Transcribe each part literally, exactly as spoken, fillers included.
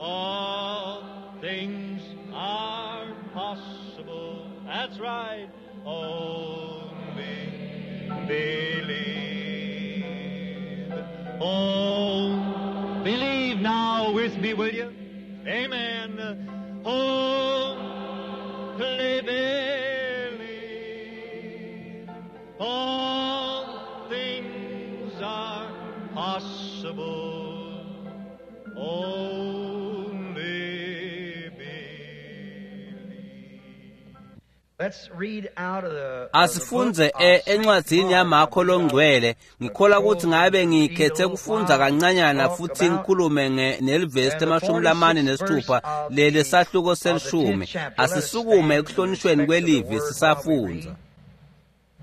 All things are possible. That's right. Only believe. Oh, believe now with me, will you? Amen. Only believe. All things are possible. Only believe. Let's read out of the Asifunze e encwadzini yaMakho longcwele. Ngikholwa ukuthi ngabe ngikhethe kufundza kancanyana futhi ngikhulume nge nelivesi lemashumi lamane nesithupha leli sahluko selishumi. Asisukume ekuhlonishweni kwelivi sisafundza.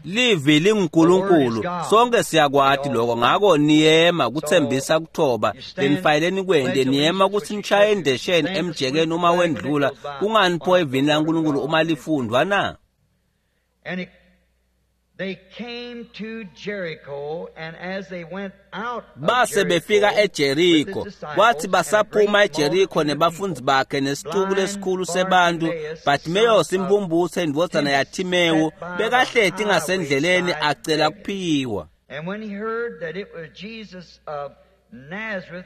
Livi linguNkulunkulu, sonke siyakwati lokho. Ngako niyema kuthembisa kuthoba lenifayeleni kwente, niyema kutsi nishaye endesheni emjekeni uma wendlula. Kungani pho evini laNkulunkulu uma lifundvwa na? And it, they came to Jericho, and as they went out of Base befika Jericho eJeriko. with his disciples Kwathi and a basaphuma great eJeriko multitude of nebafundzi people, bakhe nesixuku blind lesikhulu sebantu, Bartimaeus, Bartimeyosi son of impumputse indvodzana yaThimewu sat by the bekahleti highway ngasendleleni side acela begging. kuphiwa. And when he heard that it was Jesus of Nazareth,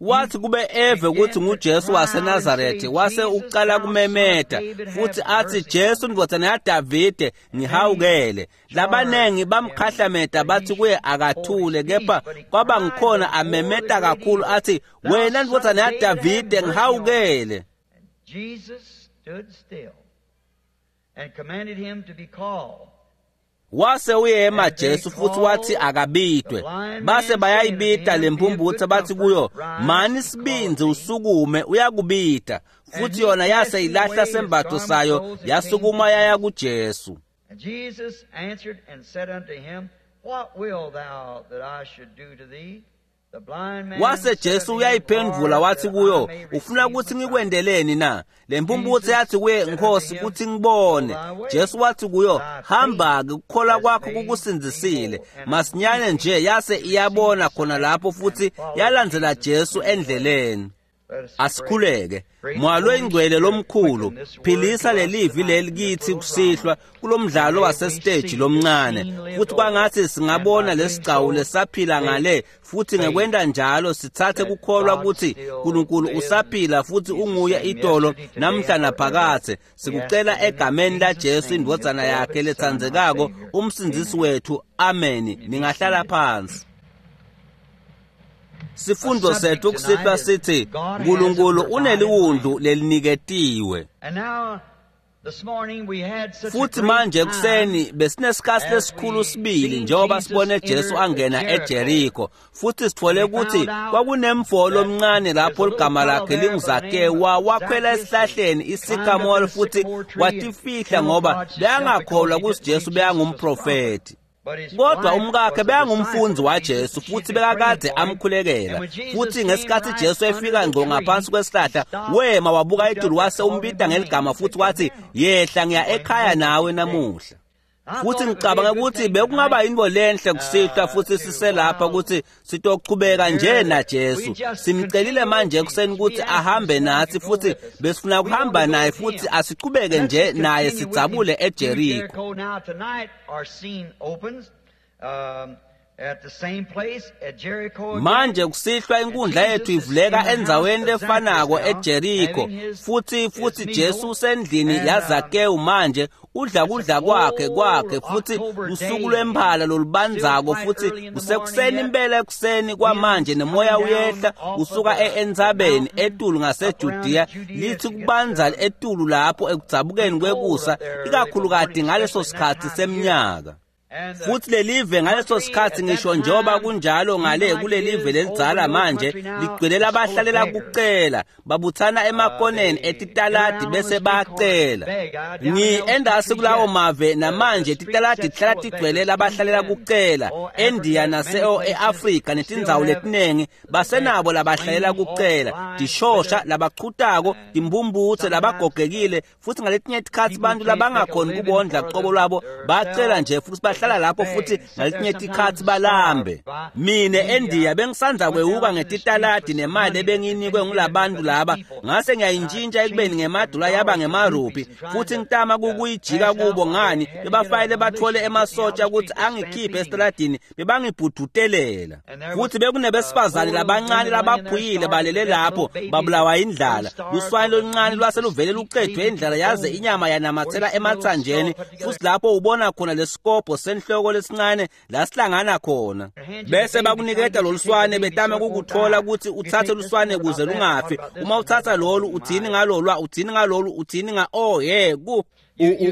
Wathi kube eve began kutsi to nguJesu cry out and say, waseNazaretha, wase Jesus, uqala thou son of kumemeta David, have futhi athi, mercy Jesu on me. ndvodzana yaDavide, And many ngihawukele. charged Labanengi him bamkhahlameta that he bathi kuye should hold his akathule, peace, kepha but he kwaba cried ngikhona the more the amemeta great kakhulu evil, athi, Thou wena son of ndvodzana David, have yaDavide, mercy on me. ngihawukele. And Jesus stood still and commanded him to be called. Wase uyema And they Jesu futhi wathi called the akabitwe. blind Base man, saying unto bayayibita him, Be of lempumputse good bathi comfort, kuyo, rise, mani he sibindzi calleth thee. usukume uyakubita. And Futhi he yona yase casting ilahla away his sembatho garment sayo rose and came to yasukuma yaya Jesus. kuJesu. And Jesus answered and said unto him, What wilt thou that I should do to thee? The blind man Wase said Jesu unto him, uyayiphendvula Lord, wathi that I kuyo, may ufuna receive kutsi my sight. ngikwenteleni na? Lempumputse Jesus yathi kuye, said unto Nkhosi, him, kutsi Go ngibone. thy way, Jesu wathi kuyo, thy faith hamba-ke, kukholwa has kwakho made thee kukusindzisile. whole. And Masinyane immediately nje yase she iyabona received khona sight lapho and futhi followed yalandzela Jesus Jesu in the way. endleleni. Let us pray. Asikhuleke. Great Moya Holy loyingcwele Spirit, lomkhulu, quicken this word philisa to us lelivi tonight leli in this kithi little kusihlwa drama. kulomdlalo And may we wasesiteji see the lomncane. scene lived Futhi over, kwangathi and by singabona doing lesigcawu so, lesaphila take ngale, futhi faith ngekwenta njalo sitsatse that kukholwa God kutsi still uNkulunkulu lives. usaphila futhi He's the unguye same itolo yesterday, today, namhla and forever. naphakadze. We ask Sikucela it in egameni la Jesus' Jesu name, his indvodzana yakhe beloved Son, our letsandzekako, Savior. umsindzisi Amen. wethu. Amen. You may be Ningahlala seated. phansi. Our Sifundo subject sethu tonight kusihlwa is sithi God has a uNkulunkulu provided uneliwundlu lamb. leliniketiwe. And now, this morning we had such a Futhi great manje time ekuseni besinesikhathi as lesikhulu we sibili seen njengoba Jesus sibone Jesu enter angena Jericho. eJeriko, futhi sithole And we ukuthi found out kwakunemfo that lomncane there's lapho a little ligama fellow lakhe there by the name linguZakewu of wa- wakhwela Zacchaeus. He esihlahleni climbed up in isikamolo a futhi sycamore tree and watifihla ngoba camouflaged himself because bekangakholwa he ukuthi didn't see Jesu Jesus was a prophet. bekangumprofethi. But his Kodwa wife umkakhe was a disciple bekangumfundzi of Jesus, waJesu and she'd futhi been praying bekakade for him. And amkhulekela. when Jesus Futhi came ngesikhathi right Jesu under efika the ngqo tree, ngaphansi he kwesihlahla, stopped, wema wabuka looked etulu up, and wase called him umbita by name ngeligama and said, futhi Come wathi, down. yehla ngiya I'm going ekhaya home with nawe you today. namuhla. I Futhi thought it would be ngicabanga a good ukuthi thing bekungaba tonight yinto lenhle kusihlwa uh, futhi to siselapha while ukuthi sitochubeka nje here na we Jesu. just Simcelile continue with manje ekuseni Jesus. ukuthi We asked him ahambe this morning nathi to go futhi with us. besifuna We want kuhamba to go naye with futhi him. asichubeke Let's nje just naye continue with him sidzabule through eJeriko. Jericho. Now tonight our scene opens um, at the same place at Jericho again. Manje kusihlwa And inkundla yethu Jesus is in ivuleka the house endzaweni of Zacchaeus lefanako now, eJeriko, having his futhi his futhi Jesu meal. usendlini And um, yaZakewu manje udla it's a kudla kwakhe cold kwakhe futhi October usuku day lwemphala and still lolubandzako quite futhi early in the morning kusekuseni yet. impela ekuseni kwamanje Winds nemoya coming down uyehla off of usuka the, e- the entsabeni mountain etulu up around ngaseJudiya Judea lithi as it gets kubanza uh, etulu lapho ekudzabukeni pretty cold kwekusa up there early in the ikakhulukati morning, ngaleso especially in that sikhathi time of year. semnyaka. And the Futhi lelive ngaleso country sikhathi at that ngisho njengoba time, kunjalo ngale even like it kulelive is over lelidzala in your manje country now, ligcwele is full of labahlalela beggars. kucela babuthana Uh, emakoneni they get etitaladi around on the bese street corners and bayacela. beg. Uh, down in Ngi those endasi countries kulawo yet, mave the, the namanje street titaladi sets tihlala full of tigcwele beggars. labahlalela India and kucela. oh, eNdiya Africa, many nase places e-Afrika still netindzawo have letiningi the basenabo beggars, labahlalela lame, halt, kucela, blind, tishosha, withered, labachutako, and timpumputse, sometimes labagogekile futhi ngaletinye tikhatsi people bantu can't make a labangakhoni living kubondla for qobo them, lwabo bacela themselves. nje futhi They bahlala lapho futhi ngaletinye tikhatsi balambe. Mine eNdiya bengisandza kwewuka ngetitaladi nemali ebengiyinikwe ngulabantu laba, ngase ngiyayintshintsha ekubeni ngemadola yaba ngemarupi, futhi ngitama kukuyijika kubo ngani bebafayele batfole emasotsha ukuthi angikhiphe esitaladini, bebangibhudutelela. Futhi bekunebesifazane labancane labaphuyile balele lapho babulawa indlala. Luswane loluncane lwase luvele lucedwe indlala yaze inyama yanamathela emathanjeni, futhi lapho ubona khona lesikobho senhloko lesincane lasihlangana khona. Bese bakuniketa loluswane betame kukuthola ukuthi uthathe luswane kuze lungafi. Uma uthatha lolu uthini ngalolwa, uthini ngalolu, uthini nga oh yeah ku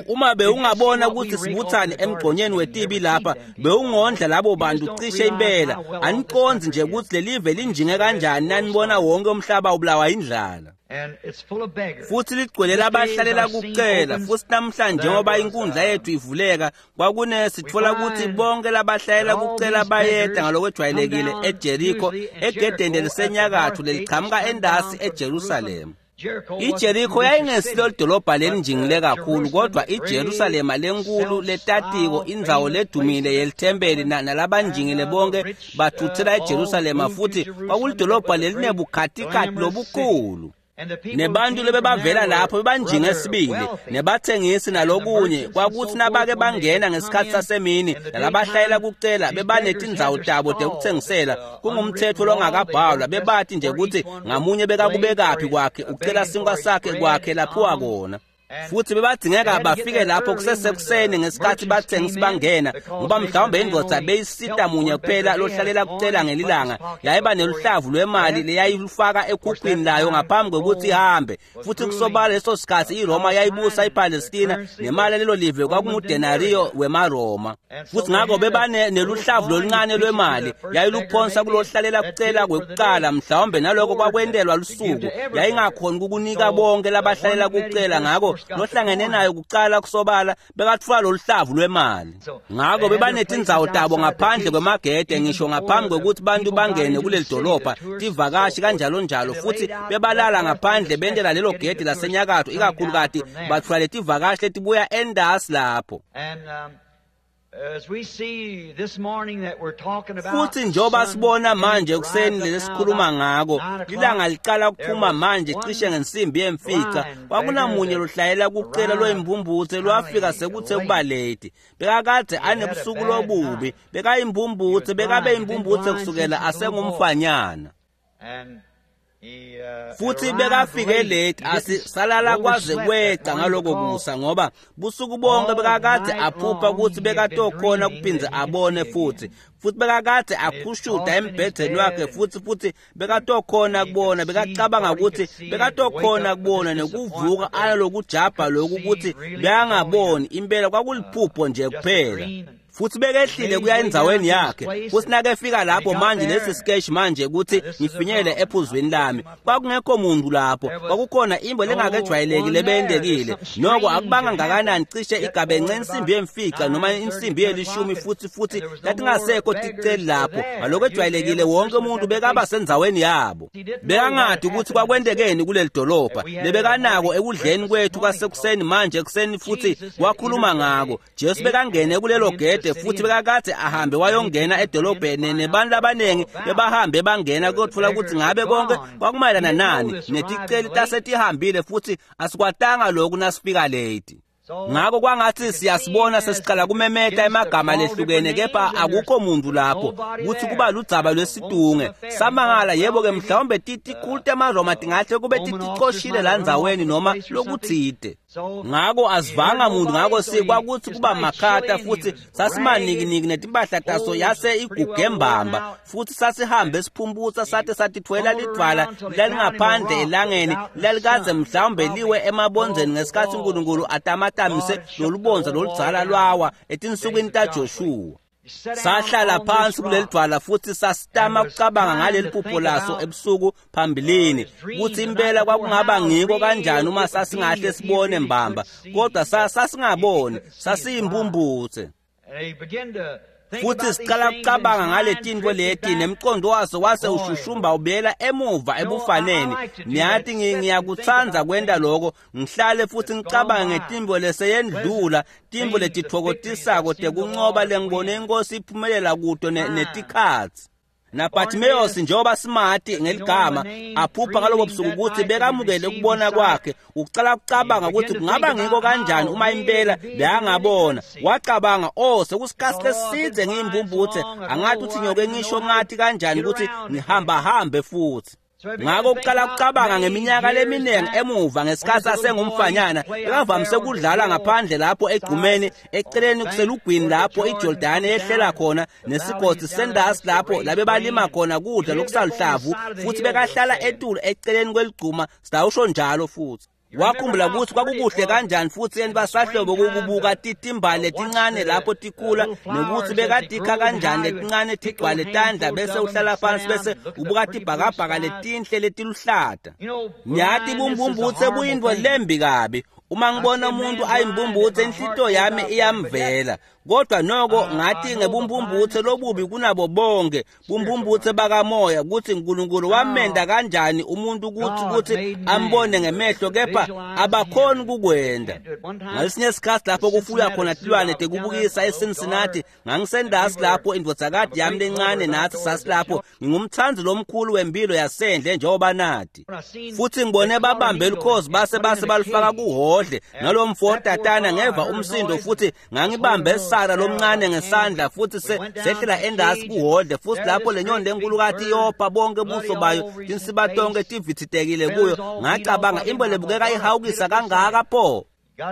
uma bewungabona ukuthi sibuthane emgqonyeni wetibi lapha, bewungondla labo bantu cishe impela. Aniqondzi nje ukuthi lelive linjinge kanjani nanibona wonke umhlaba ubulawa indlala. Futhi ligcwele labahlalela kucela. Futhi namhlanje njengoba inkundla yethu ivuleka, kwakune sitfola ukuthi bonke labahlalela kucela bayeda ngalokwejwayelekile eJeriko, egedeni lelisenyakatho lelichamuka endasi eJerusalema. IJeriko yayingesilo lidolobha lelinjingile kakhulu, kodwa iJerusalema lenkulu letatiko, indzawo ledumile yelithempeli, nalabanjingile bonke bathuthela eJerusalema, futhi kwakulidolobha lelinebukhatikhathi lobukhulu. Nebantu lebebavela lapho bebanjinge sibili, nebathengisi nalokunye. Kwakuthi nabake bangena ngesikhathi sasemini, nalabahlayela kucela bebanetindzawo tabo tekuthengisela. Kungumthetho longakabhalwa, bebathi nje ukuthi ngamunye bekakubekaphi kwakhe, ucela sinkwa sakhe kwakhe laphiwa kona. Futhi bebadzingeka bafike lapho kusesekuseni ngesikhathi bathengisi bangena, ngoba mhlawumbe indvodza beyisita munye kuphela lohlalela kucela ngelilanga, yayiba neluhlavu lwemali leyayilufaka ekhukhwini layo ngaphambi kwekuthi ihambe. Futhi kusobala leso sikhathi iRoma yayibusa iPalestina, nemali lelo live kwakungudenario wemaRoma. Futhi ngakho bebane neluhlavu loluncane lwemali yayiluphonsa kulohlalela kucela kwekuqala, mhlawumbe naloko kwakwentelwa lusuku. Yayingakhoni ukukunika bonke labahlalela kucela, ngakho lohlangene nayo kucala kusobala bekatfula loluhlavu lwemali. Ngakho bebanetindzawo tabo ngaphandle kwemagede, ngisho ngaphambi kwekuthi bantu bangene kuleli dolobha, tivakashi kanjalo njalo. Futhi bebalala ngaphandle bentela lelo gede lasenyakatho, ikakhulukati batfula letivakashi letibuya endasi lapho. Futhi njengoba sibona manje ekuseni lesikhuluma ngako, ilanga liqala kuphuma manje cishe ngensimbi yemfica, kwakunamunye lohlayela kucela loyimbumbutse lwafika sekuthe kuba late. Bekakade anebusuku lobubi, bekayimbumbutse, bekabe imbumbutse kusukela asengumfanyana. Futhi bekafike late, asisalala kwaze kweca ngaloko kusa, ngoba busuku bonke bekakade aphupha ukuthi bekatokhona kuphindze abone futhi. Futhi bekakade akhushuda embhedeni wakhe, futhi futhi bekatokhona kubona, bekacabanga ukuthi bekatokhona kubona nekuvuka alokujabha lokhu ukuthi bekangaboni impela, kwakuliphupho nje kuphela. Futhi bekehlile kuya endzaweni yakhe. Futhi nakefika lapho manje, lesi sketch manje ukuthi ngifinyele ephuzweni lami, kwakungekho muntu lapho, kwakukhona imbo lengakejwayeleki lebeyendekile. Noko akubanga ngakanani, cishe igabence insimbi yemfica noma insimbi yelishumi, futhi futhi latingasekho ticeli lapho. Ngaloko ejwayelekile wonke umuntu bekaba sendzaweni yabo. Bekangadi ukuthi kwakwentekeni kuleli dolobha lebekanako ekudleni kwethu kwasekuseni manje ekuseni, futhi wakhuluma ngako. Jesu bekangene kulelo gede, futhi bekakade ahambe wayongena edolobheni, nebantu abaningi bebahambe bangena kuyothola ukuthi ngabe konke kwakumayelana nani. Neticeli tasetihambile, futhi asikwatanga lokhu nasifika late. Ngakho kwangathi siyasibona sesiqala kumemeta emagama lehlukene, kepha akukho muntu lapho kuthi kuba ludzaba lwesitunge. Samangala, yebo-ke mhlawumbe titikhulu temaRoma tingahle kube titicoshile landzaweni noma lokutsite. Ngakho asivanga muntu, ngakho sikwakuthi kuba makhata, futhi sasimanikiniki netimpahla taso yase iguge mbamba, futhi sasihambe siphumputsa sate satithwela lidvwala lalingaphandle elangeni lalikaze mhlawumbe liwe emabondzeni ngesikhathi uNkulunkulu atamatamise lolubondza loludzala lwawa etinsukwini taJoshuwa. Sahlala phansi kuleli dwala futhi sasitama ukucabanga ngaleli phupho laso ebusuku phambilini, ukuthi impela kwakungaba ngiko kanjani uma sasingahle sibone mbamba, kodwa sasingaboni, sasiyimbumbutse. Futhi siqala kucabanga ngale tintfo leti nemcondo waso wase ushushumba ubuyela emuva ebufaneni. Niyati ngiyakutsandza kwenta loko, ngihlale futhi ngicabange ngetintfo leseyendlula, tintfo letitfokotisako tekuncoba lengibone inkosi iphumelela kuto netikhatsi. NaBartimaeus njengoba simati ngeligama aphupha ngalobo busuku ukuthi bekamukele ukubona kwakhe, ucala kucabanga ukuthi kungaba ngiko kanjani uma impela bekangabona. Wacabanga, oh sekusikhathi lesidze ngiyimpumputhe, angathi uthi ngiyoke ngisho ngathi kanjani ukuthi ngihamba hambe futhi. Ngakho uqala kucabanga ngeminyaka leminingi emuva ngesikhathi asengumfanyana, bekavamise ukudlala ngaphandle lapho egqumeni eceleni kuselugwini lapho iJordani yehlela khona nesigodi sendasi lapho labe balima khona kudla lokusaluhlavu, futhi bekahlala etulu eceleni kweligquma sitawusho njalo futhi. Wakhumbula ukuthi kwakukuhle kanjani futhi yena basahlobo ukubuka titimbali letincane lapho tikhula, nokuthi bekadikha kanjani letincane tigcwale tandla bese uhlala phansi bese ubuka tibhakabhaka letinhle letiluhlata. Niyati bumbumbutse buyintfo lembi kabi. Uma ngibona umuntu ayimbumbutse inhlito yami iyamvela. Kodwa noko ngathi ngebumbumbutse lobubi kunabo bonke bumbumbutse bakamoya ukuthi uNkulunkulu wamenda kanjani umuntu ukuthi ukuthi ambone ngemehlo, kepha abakhoni kukwenda. Ngalesinye isikhathi lapho kufuywa khona tilwane tekubukisa eCincinnati, ngangisendasi lapho indvodzakati yami lencane nathi sasilapho. Ngingumthandi lomkhulu wempilo yasendle njengoba nathi, futhi ngibone babambe lukhozi base base balufaka kuhodle nalomfo tatana ngeva umsindo, futhi ngangibambe Sara lomncane ngesandla futhi sehlela endasi kuhodle, futhi lapho lenyoni lenkulu yopha bonke buso bayo tinsiba tonke tivithitekile kuyo. Ngacabanga imbo lebukeka ihawukisa kangaka pho.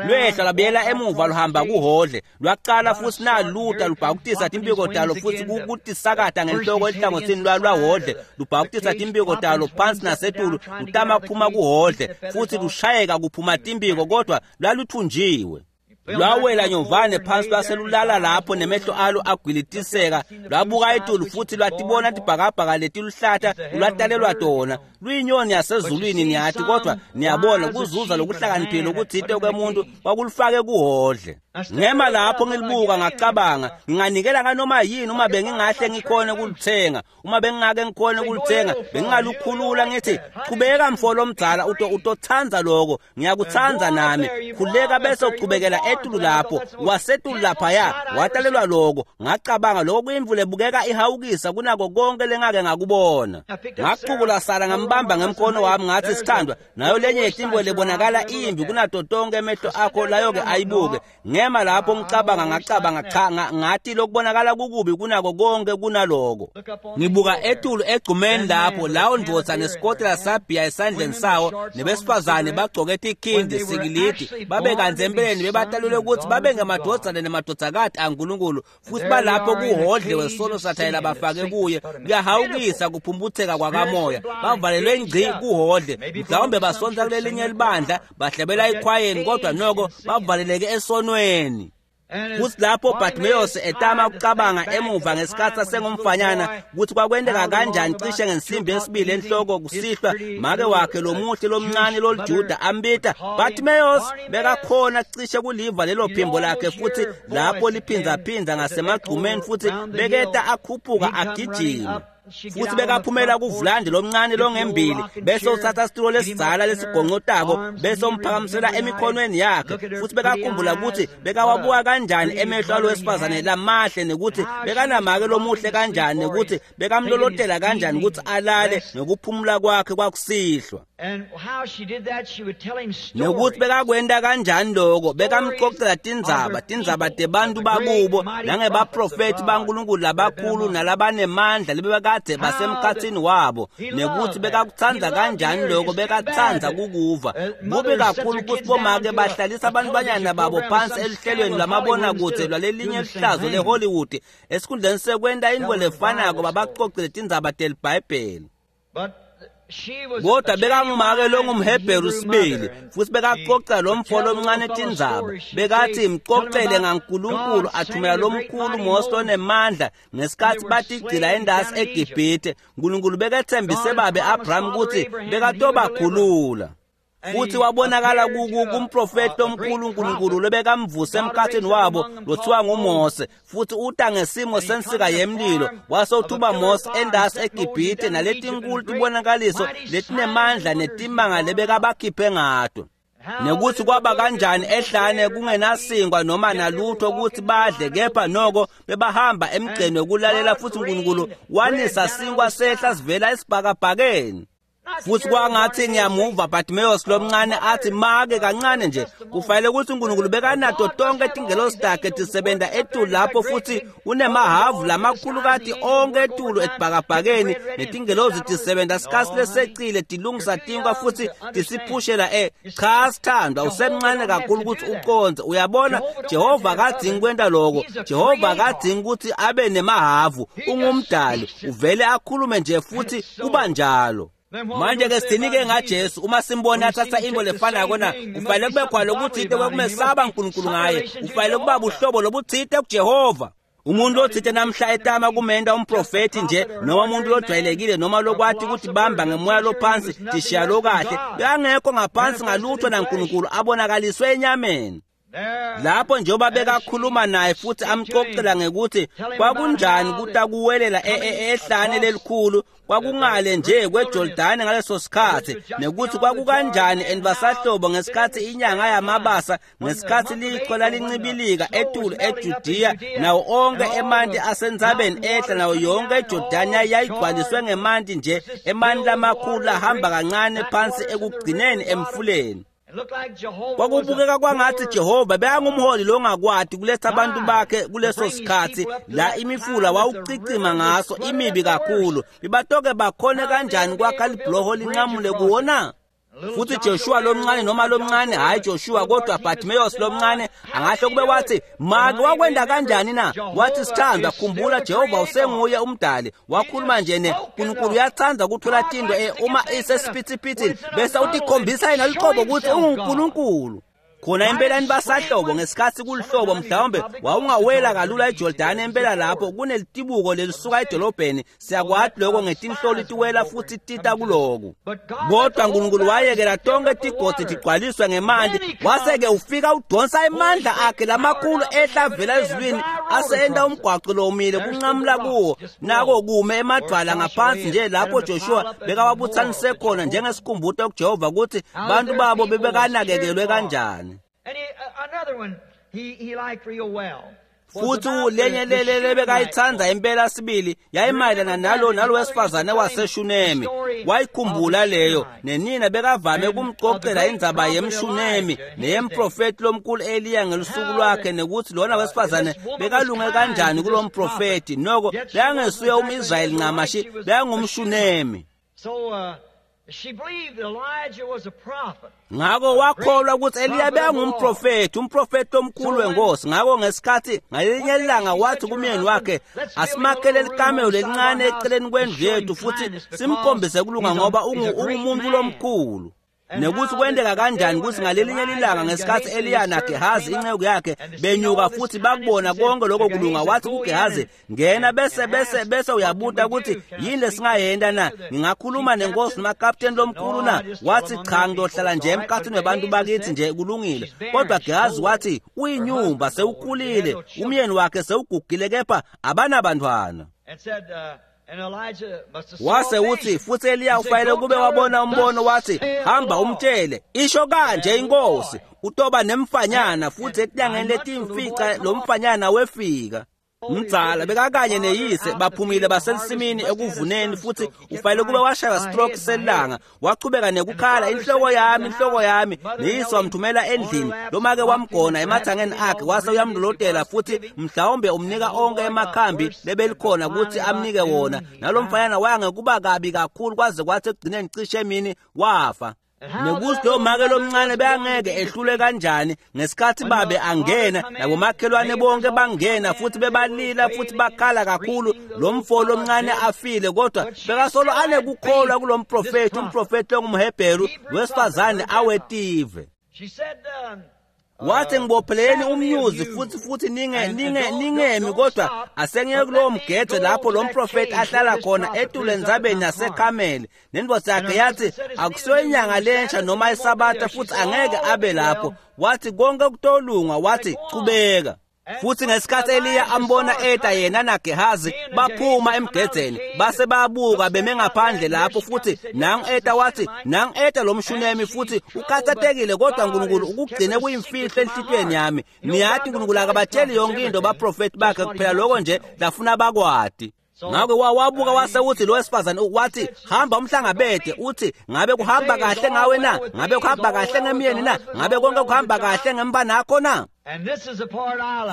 Lwehla lwabuyela emuva luhamba kuhodle, lwaqala futhi naluta lubhakutisa timpiko talo futhi kutisakata ngenhloko ehlangothini lwahodle, lubhakutisa timpiko talo phansi nasetulu lutama kuphuma kuhodle futhi lushayeka kuphuma timpiko, kodwa lwaluthunjiwe. Lwawela nyovane phansi lwaselulala lapho nemehlo alo agwilitiseka, lwabuka etulu futhi lwatibona tibhakabhaka letiluhlata lwatalelwa tona. Luyinyoni yasezulwini niyathi, kodwa niyabona kuzuza lokuhlakaniphile ukuthite kwemuntu kwakulufake kuhodle. Ngema lapho ngilibuka ngacabanga, nginganikela nganoma yini uma bengingahle ngikhone kulithenga, uma bengingake ngikhone kulithenga bengingalukhulula ngithi qhubeka mfo lomdzala, utotsandza lokho, ngiyakutsandza nami, khuleka bese uqhubekela etulu lapho wasetulu laphaya watalelwa lokho. Ngacabanga lokho kuyimvula ebukeka ihawukisa kunako konke lengake ngakubona. Ngaqhubula Sara ngambamba ngemkhono wami ngathi, sithandwa, nayo lenye yetimbo lebonakala imbi kunato tonke emehlo akho layo-ke ayibuke. Ngema lapho ngicabanga ngacabanga cha, ngathi lokubonakala kukubi kunako konke kunaloko. Ngibuka etulu egcumeni lapho lawo ndvodza nesikotela sabhiya esandleni sawo nebesifazane bagcoke tikhindi sikilidi babe kantsi empeleni bebatalelwe ukuthi babe ngemadvodzana nemadvodzakati aNkulunkulu, futhi balapho kuhodle wesono sathayela bafake kuye. Kuyahawukisa kuphumputheka kwakamoya, bavalelwe ngci kuhodle, mhlawumbe basonta kulelinye libandla bahlebela ekhwayeni, kodwa noko bavaleleke esonweni. Futhi lapho Bartimaeus etama ukucabanga emuva ngesikhathi asengumfanyana ukuthi kwakwenteka kanjani cishe ngensimbi yesibili enhloko kusihlwa make wakhe lomuhle lomncane loliJuda ambita Bartimaeus, bekakhona cishe kuliva lelo phimbo lakhe futhi lapho liphindzaphinza ngasemagcumeni, futhi beketa akhuphuka agijima. Futhi bekaphumela kuvulandi lomncane longembili bese uthatha isitulo lesidzala lesigonqotako bese umphakamisela emikhonweni yakhe, futhi bekakhumbula ukuthi bekawabuka kanjani emehlo alo wesifazane lamahle, nekuthi bekanamake lomuhle kanjani, nekuthi bekamlolotela kanjani ukuthi alale nokuphumula kwakhe kwakusihlwa, nokuthi bekakwenta kanjani lokho, bekamxoxela tindzaba tindzaba tebantu bakubo nangebaprofethi baNkulunkulu labakhulu nalabanemandla lebebakade basemkhathini wabo, nekuthi bekakutsandza kanjani lokho, bekatsandza kukuva. Kubi kakhulu ukuthi bomake bahlalisa abantwanyana babo phansi eluhlelweni lwamabonakudze lwalelinye lihlazo leHollywood esikhundleni sekwenta intfo lefanako babacocele tindzaba telibhayibheli. Kodwa bekangumake longumHebheru sibili, futhi bekacoca lomfo lomncane tindzaba, bekathi mcocele ngaNkulunkulu athumela lomkhulu Mose lonemandla ngesikhathi batigcila endasi eGibhithe. uNkulunkulu bekethembise babe Abraham ukuthi bekatobakhulula. Futhi wabonakala kumprofeti omkhulu uNkulunkulu lobekamvuse emkhathini wabo lothiwa nguMose, futhi uta ngesimo sensika yemlilo wase uthuba Mose endasi eGibhithe naletinkulu tibonakaliso letinemandla netimanga lebekabakhiphe ngato. Nekuthi kwaba kanjani ehlane kungenasingwa noma nalutho ukuthi badle, kepha noko bebahamba emgceni wokulalela, futhi uNkulunkulu wanisa sinkwa sehla sivela esibhakabhakeni. Futhi kwangathi ngiyamuva Bartimaeus lomncane athi make kancane nje, kufanele ukuthi uNkulunkulu bekanato tonke tingelosi takhe tisebenta etulu lapho, futhi unemahavu lamakhulukati onke etulu etibhakabhakeni, netingelosi tisebenta sikhatsi lesecile tilungisa tinkwa futhi tisiphushela e cha sithandwa, usemncane kakhulu ukuthi uconze. Uyabona, Jehova akadzingi kwenta lokho. Jehova akadzingi ukuthi abe nemahavu, ungumdali, uvele akhulume nje futhi kuba njalo. Manje ke sithinike ngaJesu, uma simbona athatha into lefanako na, kufanele kube khona lokuthite kwekumesaba uNkulunkulu ngaye, kufanele kuba buhlobo lobuthite kuJehova. Umuntu othite namhla etama kumenda umprofeti nje noma umuntu lojwayelekile noma lokwathi ukuthi bamba ngemoya lophansi tishiya lokahle, bekangekho ngaphansi ngalutho naNkulunkulu abonakaliswe enyameni. Lapho njengoba bekakhuluma naye futhi amxoxela ngekuthi kwakunjani kutakuwelela ehlane lelikhulu, kwakungale nje kweJordani ngaleso sikhathi, nekuthi kwakukanjani envasahlobo ngesikhathi inyanga yamabasa, ngesikhathi lichwa lalincibilika etulu eJudiya, nawo onke emanti asentsabeni ehla, nawo yonke eJordani yayigcwaliswe ngemanti nje, emanti lamakhulu ahamba kancane phansi ekugcineni emfuleni. Kwakubukeka kwangathi Jehova bekangumholi longakwati kuletha abantu bakhe kuleso sikhathi la imifula wawucicima ngaso imibi kakhulu. Bibatoke bakhone kanjani kwakha libhuloho linqamule kuwona? Futhi Joshua lomncane noma lomncane, hayi Joshua kodwa Bartimaeus lomncane angahle kube wathi, make wakwenda kanjani na? Wathi, sithandwa, khumbula Jehova usenguye umdali. Wakhuluma nje ne uNkulunkulu uyathanda ukuthola tinto eh, uma isesiphithiphithini bese utikhombisa yena luqobo ukuthi unguNkulunkulu. Khona impelani basahlobo ngesikhathi kulihlobo mhlawumbe wawungawela kalula eJordani impela lapho kunelitibuko lelisuka edolobheni, siyakwati lokho ngetinhloli tiwela futhi tita kuloku. Kodwa uNkulunkulu wayekela tonke tigodzi tigcwaliswe ngemanti, wase-ke ufika udonsa emandla akhe lamakhulu ehla avela ezulwini ase enta umgwaco lomile kunqamula kuwo, nako kume emadvwala ngaphansi nje lapho Joshua bekawabuthanise khona njengesikhumbuto kuJehova ukuthi bantu babo bebekanakekelwe kanjani. And he, uh, another one he, he liked real well. Futhi lenye lele bekayithanda impela sibili yayimayelana nalo nalo wesifazane waseShunemi. Wayikhumbula leyo, nenina bekavame ukumxoxela indzaba yemShunemi neyemprofeti lomkhulu Eliya ngelusuku lwakhe, nekuthi lona wesifazane bekalunge kanjani kulomprofeti. Noko bekangesuye umIsrayeli ncamashi, bekangumShunemi. So uh, she believed Elijah was a prophet. Ngakho wakholwa ukuthi Eliya bekangumprofeti, umprofeti omkhulu wenkosi. Ngakho ngesikhathi ngalinye ilanga wathi kumyeni wakhe, asimakhele likamelo lelincane eceleni kwendlu yethu futhi simkhombise kulunga ngoba ungumuntu lomkhulu. Nekuthi kwenteka kanjani ukuthi ngalelinye ilanga ngesikhathi Eliya naGehazi inceku yakhe benyuka futhi bakubona konke lokho kulunga, wathi kuGehazi, ngena bese bese bese uyabuta ukuthi yini lesingayenta na, ngingakhuluma nenkosi noma kapteni lomkhulu na? Wathi, cha, ngizohlala nje emkhathini wabantu bakithi nje, kulungile. Kodwa Gehazi wathi, uyinyumba, sewukhulile, umyeni wakhe sewugugile, kepha abanabantwana. And said, uh, and Elijah must have saw Wase a uthi vision. futhi Eliya ufanele kube wabona umbono, wathi, hamba umtshele, isho kanje inkosi, utoba nemfanyana futhi etinyangeni letimfica lo mfanyana wefika. Mdzala bekakanye neyise baphumile basensimini ekuvuneni, futhi ufanele kube washaya stroke selanga, wachubeka nekukhala, inhloko yami, inhloko yami. Neyise wamthumela endlini, lomake wamgona emathangeni akhe wase uyamlolotela futhi mhlawumbe umnika onke emakhambi lebelikhona ukuthi amnike wona. Nalo mfanyana waya ngekuba kabi kakhulu kwaze kwathi ekugcineni cishe emini wafa. Nekuthi lo make lomncane bekangeke ehlule kanjani ngesikhathi babe angena nabomakhelwane bonke bangena futhi bebalila futhi bakhala kakhulu, lo mfo lomncane afile, kodwa bekasolo anekukholwa kulo mprofeti, umprofeti ongumHebheru wesifazane awetive. She said, um, Wathi ngibopheleni umnyuzi futhi futhi ninge ninge ningemi kodwa asengeke kulowo mgede lapho lo mprofeti ahlala khona etule entsabeni yaseKhameli. Nendvodza yakhe yathi akusiyo inyanga lensha noma isabatha futhi angeke abe lapho. Wathi konke kutolunga, wathi chubeka. Futhi ngesikhathi Eliya ambona eta yena naGehazi baphuma emgedzeni base babuka beme ngaphandle lapho futhi nangu eta wathi nangu eta lo mshunemi futhi ukhathatekile kodwa uNkulunkulu ukugcine kuyimfihlo enhlitiyweni yami. Niyathi uNkulunkulu akabatsheli yonke into baprofeti bakhe kuphela lokho nje lafuna bakwati. Ngakho wabuka wase uthi lo wesifazane wathi hamba umhlangabede uthi ngabe kuhamba kahle ngawe na, ngabe kuhamba kahle ngemyeni na, ngabe konke kuhamba kahle ngembanakho na.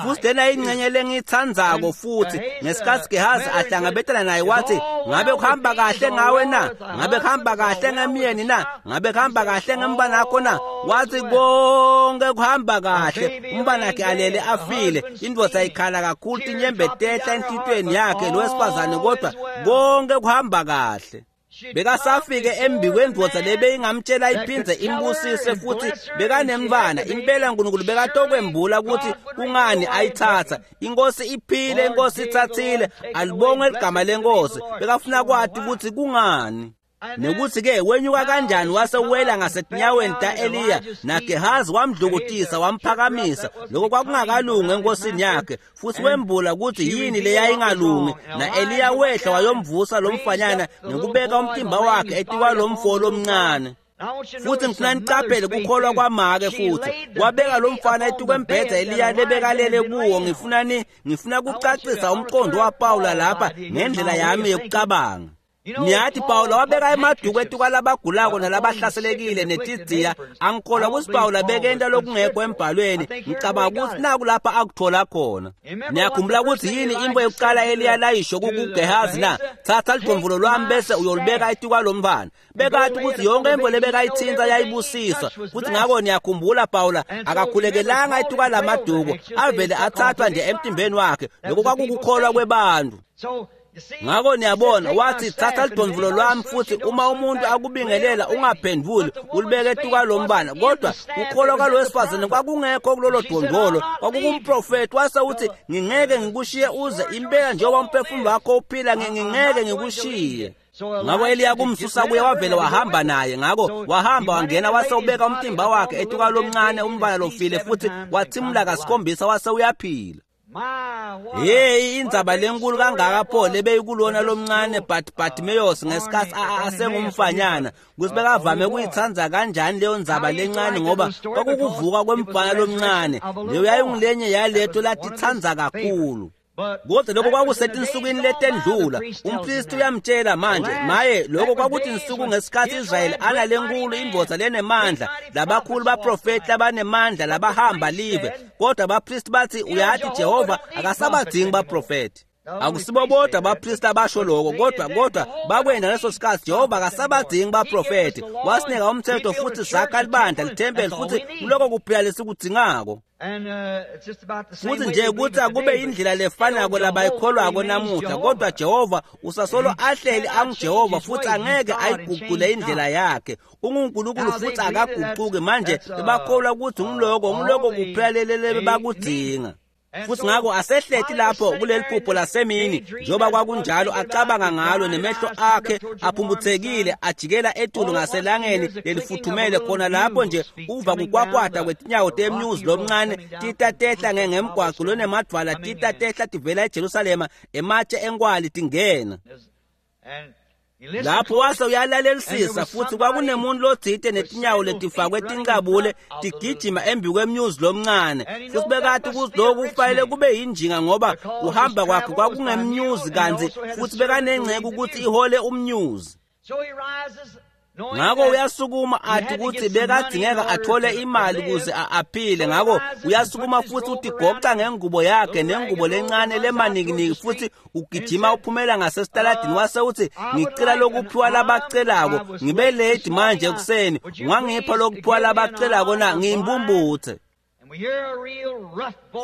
Futhi lena ingxenye lengiyithandzako futhi ngesikhathi Gehazi ahlangabetana naye wathi ngabe kuhamba kahle ngawe na, ngabe kuhamba kahle ngemyeni na, ngabe kuhamba kahle ngembanakho na. Wathi konke kuhamba kahle, umbanakhe alele afile. Indvodza ikhala kakhulu tinyembe tehla enhlitiyweni yakhe lo wesifazane kodwa konke kuhamba kahle. Bekasafike embi kwendvodza lebeyingamtshela iphindze imbusise futhi bekanemntfwana. Impela uNkulunkulu bekatokwembula ukuthi kungani ayithatha. Inkosi iphile, inkosi ithathile, alibongwe ligama lenkosi. Bekafuna kwati ukuthi kungani. Nekuthi ke wenyuka kanjani wase wela ngasetinyaweni ta-Eliya naGehazi wamdlukutisa wamphakamisa. Lokho kwakungakalungi enkosini yakhe futhi wembula ukuthi yini leyayingalungi. Na-Eliya wehla wayomvusa lo mfanyana ngokubeka umtimba wakhe etikwalomfo lomncane. Futhi ngifuna nicaphele kukholwa kwamake futhi wabeka lo mfana etikwembhedza Eliya lebekalele kuwo. Ngifuna ni ngifuna kucacisa umqondo waPawula lapha ngendlela yami yokucabanga. Niyathi Pawula wabeka emaduku etikwalabagulako nalabahlaselekile netidziya. Angikholwa ukuthi Pawula bekenta lokungekho embhalweni. Ngicabanga ukuthi naku lapha akuthola khona. Niyakhumbula ukuthi yini into yokuqala Eliya layisho kuGehazi na? Thatha lidvomvulo lwami bese uyolibeka etikwalomfana. Bekathi ukuthi yonke into lebekayithinta yayibusiswa. Futhi ngakho niyakhumbula Pawula akakhulekelanga etikwalamaduku, avele athathwa nje emtimbeni wakhe. Lokho kwakukukholwa kwebantu. Ngakho niyabona wathi thatha lidvomvulo lwami futhi uma umuntu akubingelela ungaphenduli ulibeke etikwalomfana. Kodwa ukukholwa kwalo wesifazane kwakungekho kulolo dvondvolo, kwakukumprofeti. Wase uthi ngingeke ngikushiye uze impela njengoba umphefumulo wakho uphila ngingeke ngikushiye. Ngakho Eliya kumsusa kuye wavele wahamba naye. Ngakho wahamba wangena wase ubeka umtimba wakhe etikwalomncane umfana lofile futhi wathimula kasikhombisa wase uyaphila. Hey, indzaba lenkulu kangaka pho lebeyikulona lomncane but Bartimaeus ngesikhathi asengumfanyana ukuthi bekavame kuyithandza kanjani leyo ndzaba lencane ngoba kwakukuvuka kwemfana lomncane. Leyo yayingulenye yaleto latithandza kakhulu. Kodwa lokho kwakusetinsukwini letendlula. Umpristi uyamtshela manje maye lokho kwakuthi insuku ngesikhathi Israyeli analenkulu indvodza lenemandla labakhulu baprofeti labanemandla labahamba live. Kodwa abapristi bathi uyathi Jehova akasabadingi baprofeti. Akusibo bodwa abapristi abasho lokho kodwa kodwa bakwenda leso sikhathi Jehova akasabadingi baprofeti. Wasinika umthetho futhi sakha libandla lithempeli futhi kuloko kuphela lesikudzingako. Futhi nje ukuthi akube indlela lefanako labayikholwako namuhla kodwa Jehova usasolo ahleli anguJehova futhi angeke ayiguqule indlela yakhe. UnguNkulunkulu futhi akaguquki. Manje bakholwa ukuthi ngiloko ngiloko kuphela lelele bakudinga. Futhi ngakho asehleti lapho kuleli phupho lasemini njengoba kwakunjalo acabanga ngalo nemehlo akhe aphumputhekile ajikela etulu ngaselangeni lelifuthumele khona lapho nje uva kukwakwata kwetinyawo temnyuzi lomncane tita tehla ngemgwaco lonemadvwala tita tehla tivela eJerusalema ematshe enkwali tingena. Lapho wase uyalalelisisa futhi kwakunemuntu lotsite netinyawo letifakwe tincabule tigijima embi kwemnyuzi lomncane. Futhi bekathi ukuthi lokhu kufanele kube yinjinga ngoba kuhamba kwakhe kwakungemnyuzi kanti futhi bekanengceke ukuthi ihole umnyuzi. Ngakho uyasukuma athi ukuthi bekadingeka athole imali ukuze aphile. Ngakho uyasukuma futhi utigoqa ngengubo yakhe nengubo lencane lemanikiniki futhi ugijima uphumela ngasesitaladini wase uthi ngicela lokuphiwa labacelako ngibe late manje ekuseni ungangipha lokuphiwa labacelako na ngiyimbumbuthe.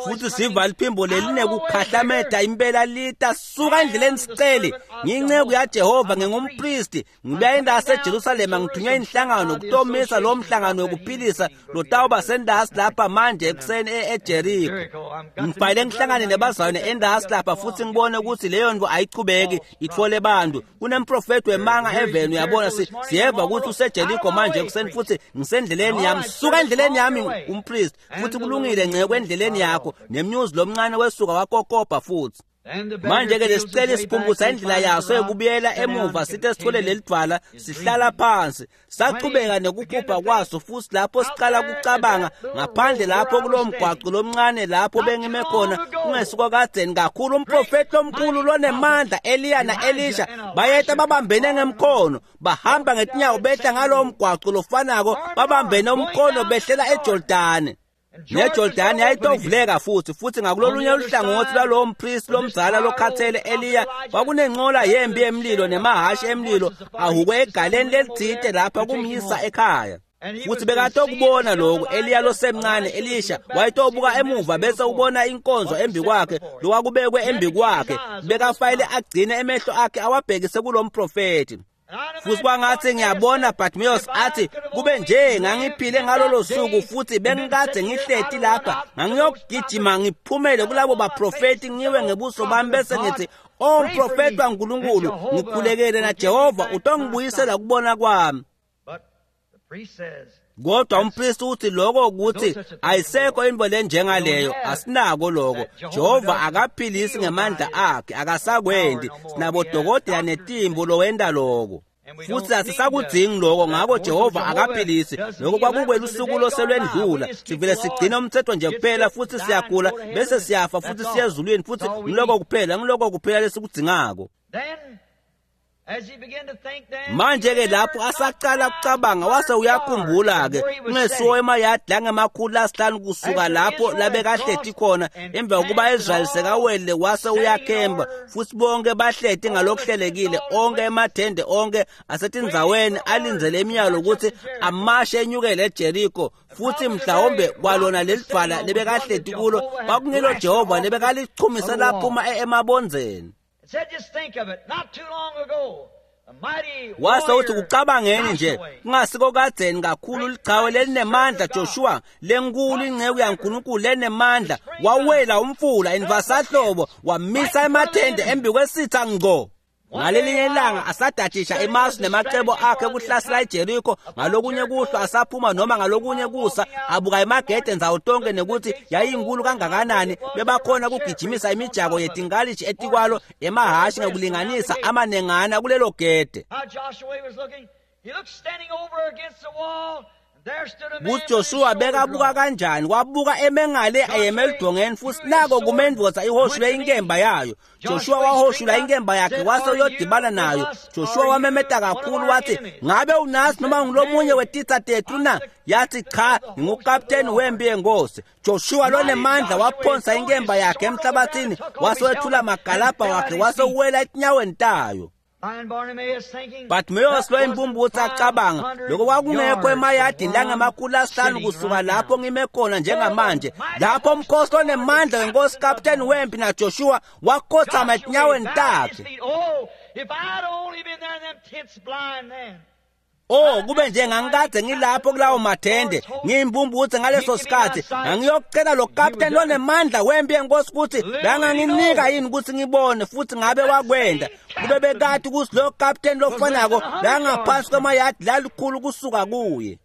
Futhi siva liphimbo lelinekukhahlameda impela lita suka endleleni siceli ngiyinceku yaJehova ngingumpristi ngibuya endasi eJerusalema ngithunywe inhlangano kutomisa lo mhlangano wekuphilisa lotawuba sendasi lapha manje ekuseni eJeriko. Ngibhayile ngihlangane nebazalwane endasi lapha futhi ngibone ukuthi leyo nto ayichubeki itfole bantu. Kunemprofeti wemanga eveni uyabona siyeva ukuthi useJeriko manje ekuseni futhi ngisendleleni yami suka endleleni yami umpristi futhi kulungile nceke endleleni yakho nemnyuzi lomncane wesuka wakokopa futhi. Manje ke lesicela isiphumbusa indlela yaso yokubuyela emuva sithe sithole lelidwala sihlala phansi sachubeka nekuphupha kwaso futhi lapho siqala kucabanga ngaphandle lapho kulo mgwaqo lomncane lapho bengime khona kungesuka kadzeni kakhulu umprofeti omkhulu lonemandla Eliya na-Elisha bayeta babambene ngemkhono bahamba ngetinyawo behla ngalowo mgwaqo lofanako babambene umkhono behlela eJordani. NeJordani yayitovuleka futhi futhi ngakulolunye uhlangothi lwalowo mpristi lomzala lokhathele Eliya kwakunenqola yempi emlilo nemahashi emlilo ahukwe egaleni lelithite lapha kumyisa ekhaya. Futhi bekatokubona lokhu Eliya losemncane Elisha wayetobuka emuva bese ubona inkonzo embi kwakhe lokwakubekwe embi kwakhe bekafayile agcine emehlo akhe awabhekise kulomprofeti. Futhi kwangathi ngiyabona Bartimaeus athi kube nje ngangiphile ngalolo suku futhi bengikade ngihleti lapha ngangiyogijima ngiphumele kulabo baprofeti ngiwe ngebuso bami bese ngithi o mprofeti waNkulunkulu ngikhulekele na Jehova utongibuyisela kubona kwami. Kodwa umpristi uthi lokho ukuthi ayisekho into lenjengaleyo asinako lokho. Jehova akaphilisi ngemandla akhe akasakwendi sinabodokotela netimbo lowenda lokho futhi asisakudzingi lokho ngakho Jehova akaphilisi lokho kwakukwelusuku loselwendlula sivele sigcina umthetho nje kuphela futhi siyagula bese siyafa futhi siya ezulwini futhi ngiloko kuphela ngiloko kuphela lesikudzingako. Manje ke lapho asaqala kucabanga wase uyakhumbula ke kungesuwo emayadi langemakhulu lasihlanu kusuka lapho labekahleti khona emva kokuba Israel sekawele wase uyakhemba futhi bonke bahleti ngalokuhlelekile onke emathende onke asetindzaweni alindzele imiyalo ukuthi amashe enyukele eJeriko futhi mhlawumbe kwalona lelidvwala lebekahleti kulo kwakungilo Jehova lebekalichumisa laphuma emabondzeni. Wase uthi kucabangeni nje kungasiko kadzeni kakhulu lichawe lelinemandla Joshua lenkulu inceku yaNkulunkulu lenemandla wawela umfula envasahlobo wamisa emathende embi kwesitha ngqo. Ngalelinye ilanga asadajisha emasu nemacebo akhe kuhlasela iJeriko ngalokunye kuhlwa asaphuma noma ngalokunye kusa abuka emagede ndzawo tonke nekuthi yayinkulu kangakanani bebakhona kugijimisa imijako yetinkalishi etikwalo emahashi ngekulinganisa amanengana kulelo gede. KuJoshua bekabuka kanjani wabuka emengale ayeme elidongeni futhi nako kumendvodza ihoshule inkemba yayo. Joshua wahoshula inkemba yakhe wase uyodibana nayo. Joshua wamemeta kakhulu wathi ngabe unasi noma ngilomunye wetitsa tethu na? Yathi cha ngingukapteni wempi yenkosi. Joshua lonemandla waphonsa inkemba yakhe emhlabathini wase wethula magalabha wakhe wase uwela etinyaweni tayo. Bartimaeus lo impumputhe acabanga lokho kwakungekho emayadini langemakhulu asihlanu kusuka lapho ngime khona njengamanje lapho umkhosi onemandla wenkosi kapteni wempi naJoshua wakhothama etinyaweni takhe. Oh kube nje ngangikade ngilapho kulawo mathende ngiyimpumputhe ngaleso sikhathi ngangiyocela lo kapteni lonemandla wempi yenkosi ukuthi banganginika yini ukuthi ngibone futhi ngabe wakwenda kube bekade ukuthi lo kapteni lofanako langaphansi kwemayadi lalikhulu kusuka kuye.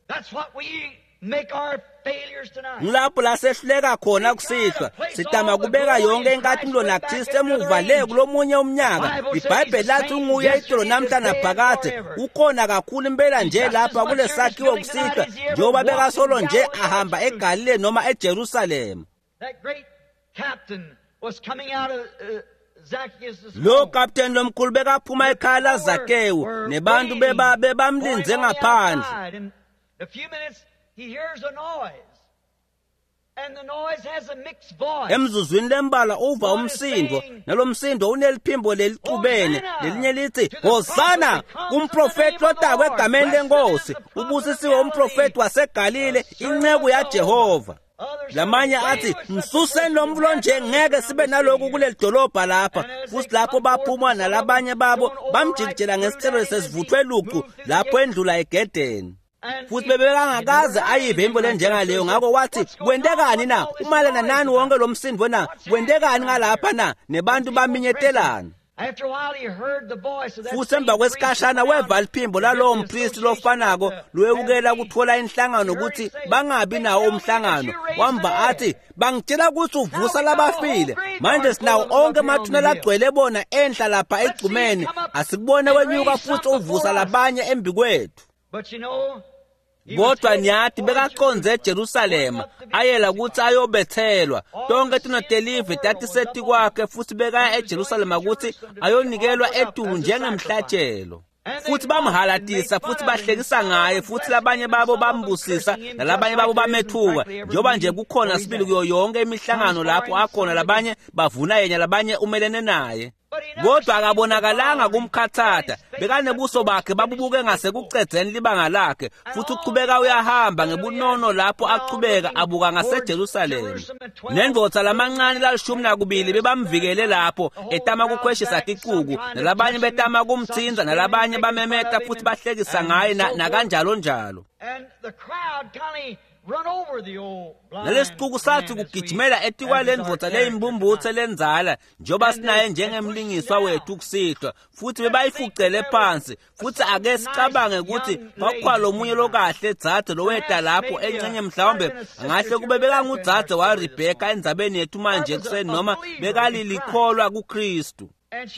Ngilapho la sehluleka khona kusihlwa sitama kubeka yonke inkatimlo naKristu emuva le kulomunye umnyaka. IBhayibheli lathi unguye itolo namhla naphakade ukhona kakhulu impela nje lapha kulesakhiwo kusihlwa njengoba bekasolo nje ahamba eGalile noma eJerusalema. Lo kapteni lomkhulu bekaphuma ekhaya laZakewu nebantu beba bebamlinze ngaphandle. He hears a noise, and the noise has a mixed voice. Emzuzwini lembala uva umsindo nalomsindo uneliphimbo lelicubene lelinye lithi Hosana kumprofeti lotakwe egameni lenkosi ubusisiwe umprofeti waseGalile inceku yaJehova. Lamanye athi msuseni lo mfo nje, ngeke sibe naloku kuleli dolobha lapha. Futhi lapho baphuma nalabanye babo bamjikijela ngesicelo sesivuthwe lucu lapho endlula egedeni. Futhi bebekangakaze ayive imvo lenjengaleyo. Ngakho wathi, kwentekani na? Umalana nani wonke lo msindo na? Kwentekani ngalapha na? Nebantu baminyetelana. Futhi emva kwesikhashana weva liphimbo lalowo mpristi lofanako lowewukela kuthola inhlangano ukuthi bangabi nawo umhlangano. Wamba athi, bangitshela ukuthi uvusa labafile. Manje sinawo onke amathuna lagcwele bona enhla lapha egcumeni, asikubone wenyuka futhi uvusa labanye embikwethu. Kodwa niyathi bekaconze eJerusalema ayela ukuthi ayobethelwa. Tonke tinotelive tatiseti kwakhe futhi bekaya eJerusalema ukuthi ayonikelwa etulu njengemhlatshelo. Futhi bamhalatisa futhi bahlekisa ngaye, futhi labanye babo bambusisa nalabanye babo bamethuka, njengoba nje kukhona sibili kuyo yonke imihlangano lapho akhona, labanye bavuna yena, labanye umelene naye. Kodwa akabonakalanga kumkhathatha, bekanebuso bakhe babubuke ngasekucedzeni libanga lakhe, futhi uchubeka uyahamba ngebunono lapho achubeka abuka ngaseJerusalema. Nendvodza lamancane lalishumi nakubili bebamvikele lapho etama kukhweshisa ticuku, nalabanye betama kumthinza, nalabanye bamemeta futhi bahlekisa ngaye nakanjalo njalo. Nalesicuku sathi kugijimela etikwalendvodza leyimbumbuthe lenzala njengoba sinaye njengemlingiswa wethu kusihlwa, futhi bebayifucele phansi. Futhi ake sicabange ukuthi kwakukhona lomunye lokahle dzadze loweta lapho encenye, mhlawumbe angahle kube bekangudzadze waRebheka endzabeni yethu manje ekuseni, noma bekalilikholwa kuKristu.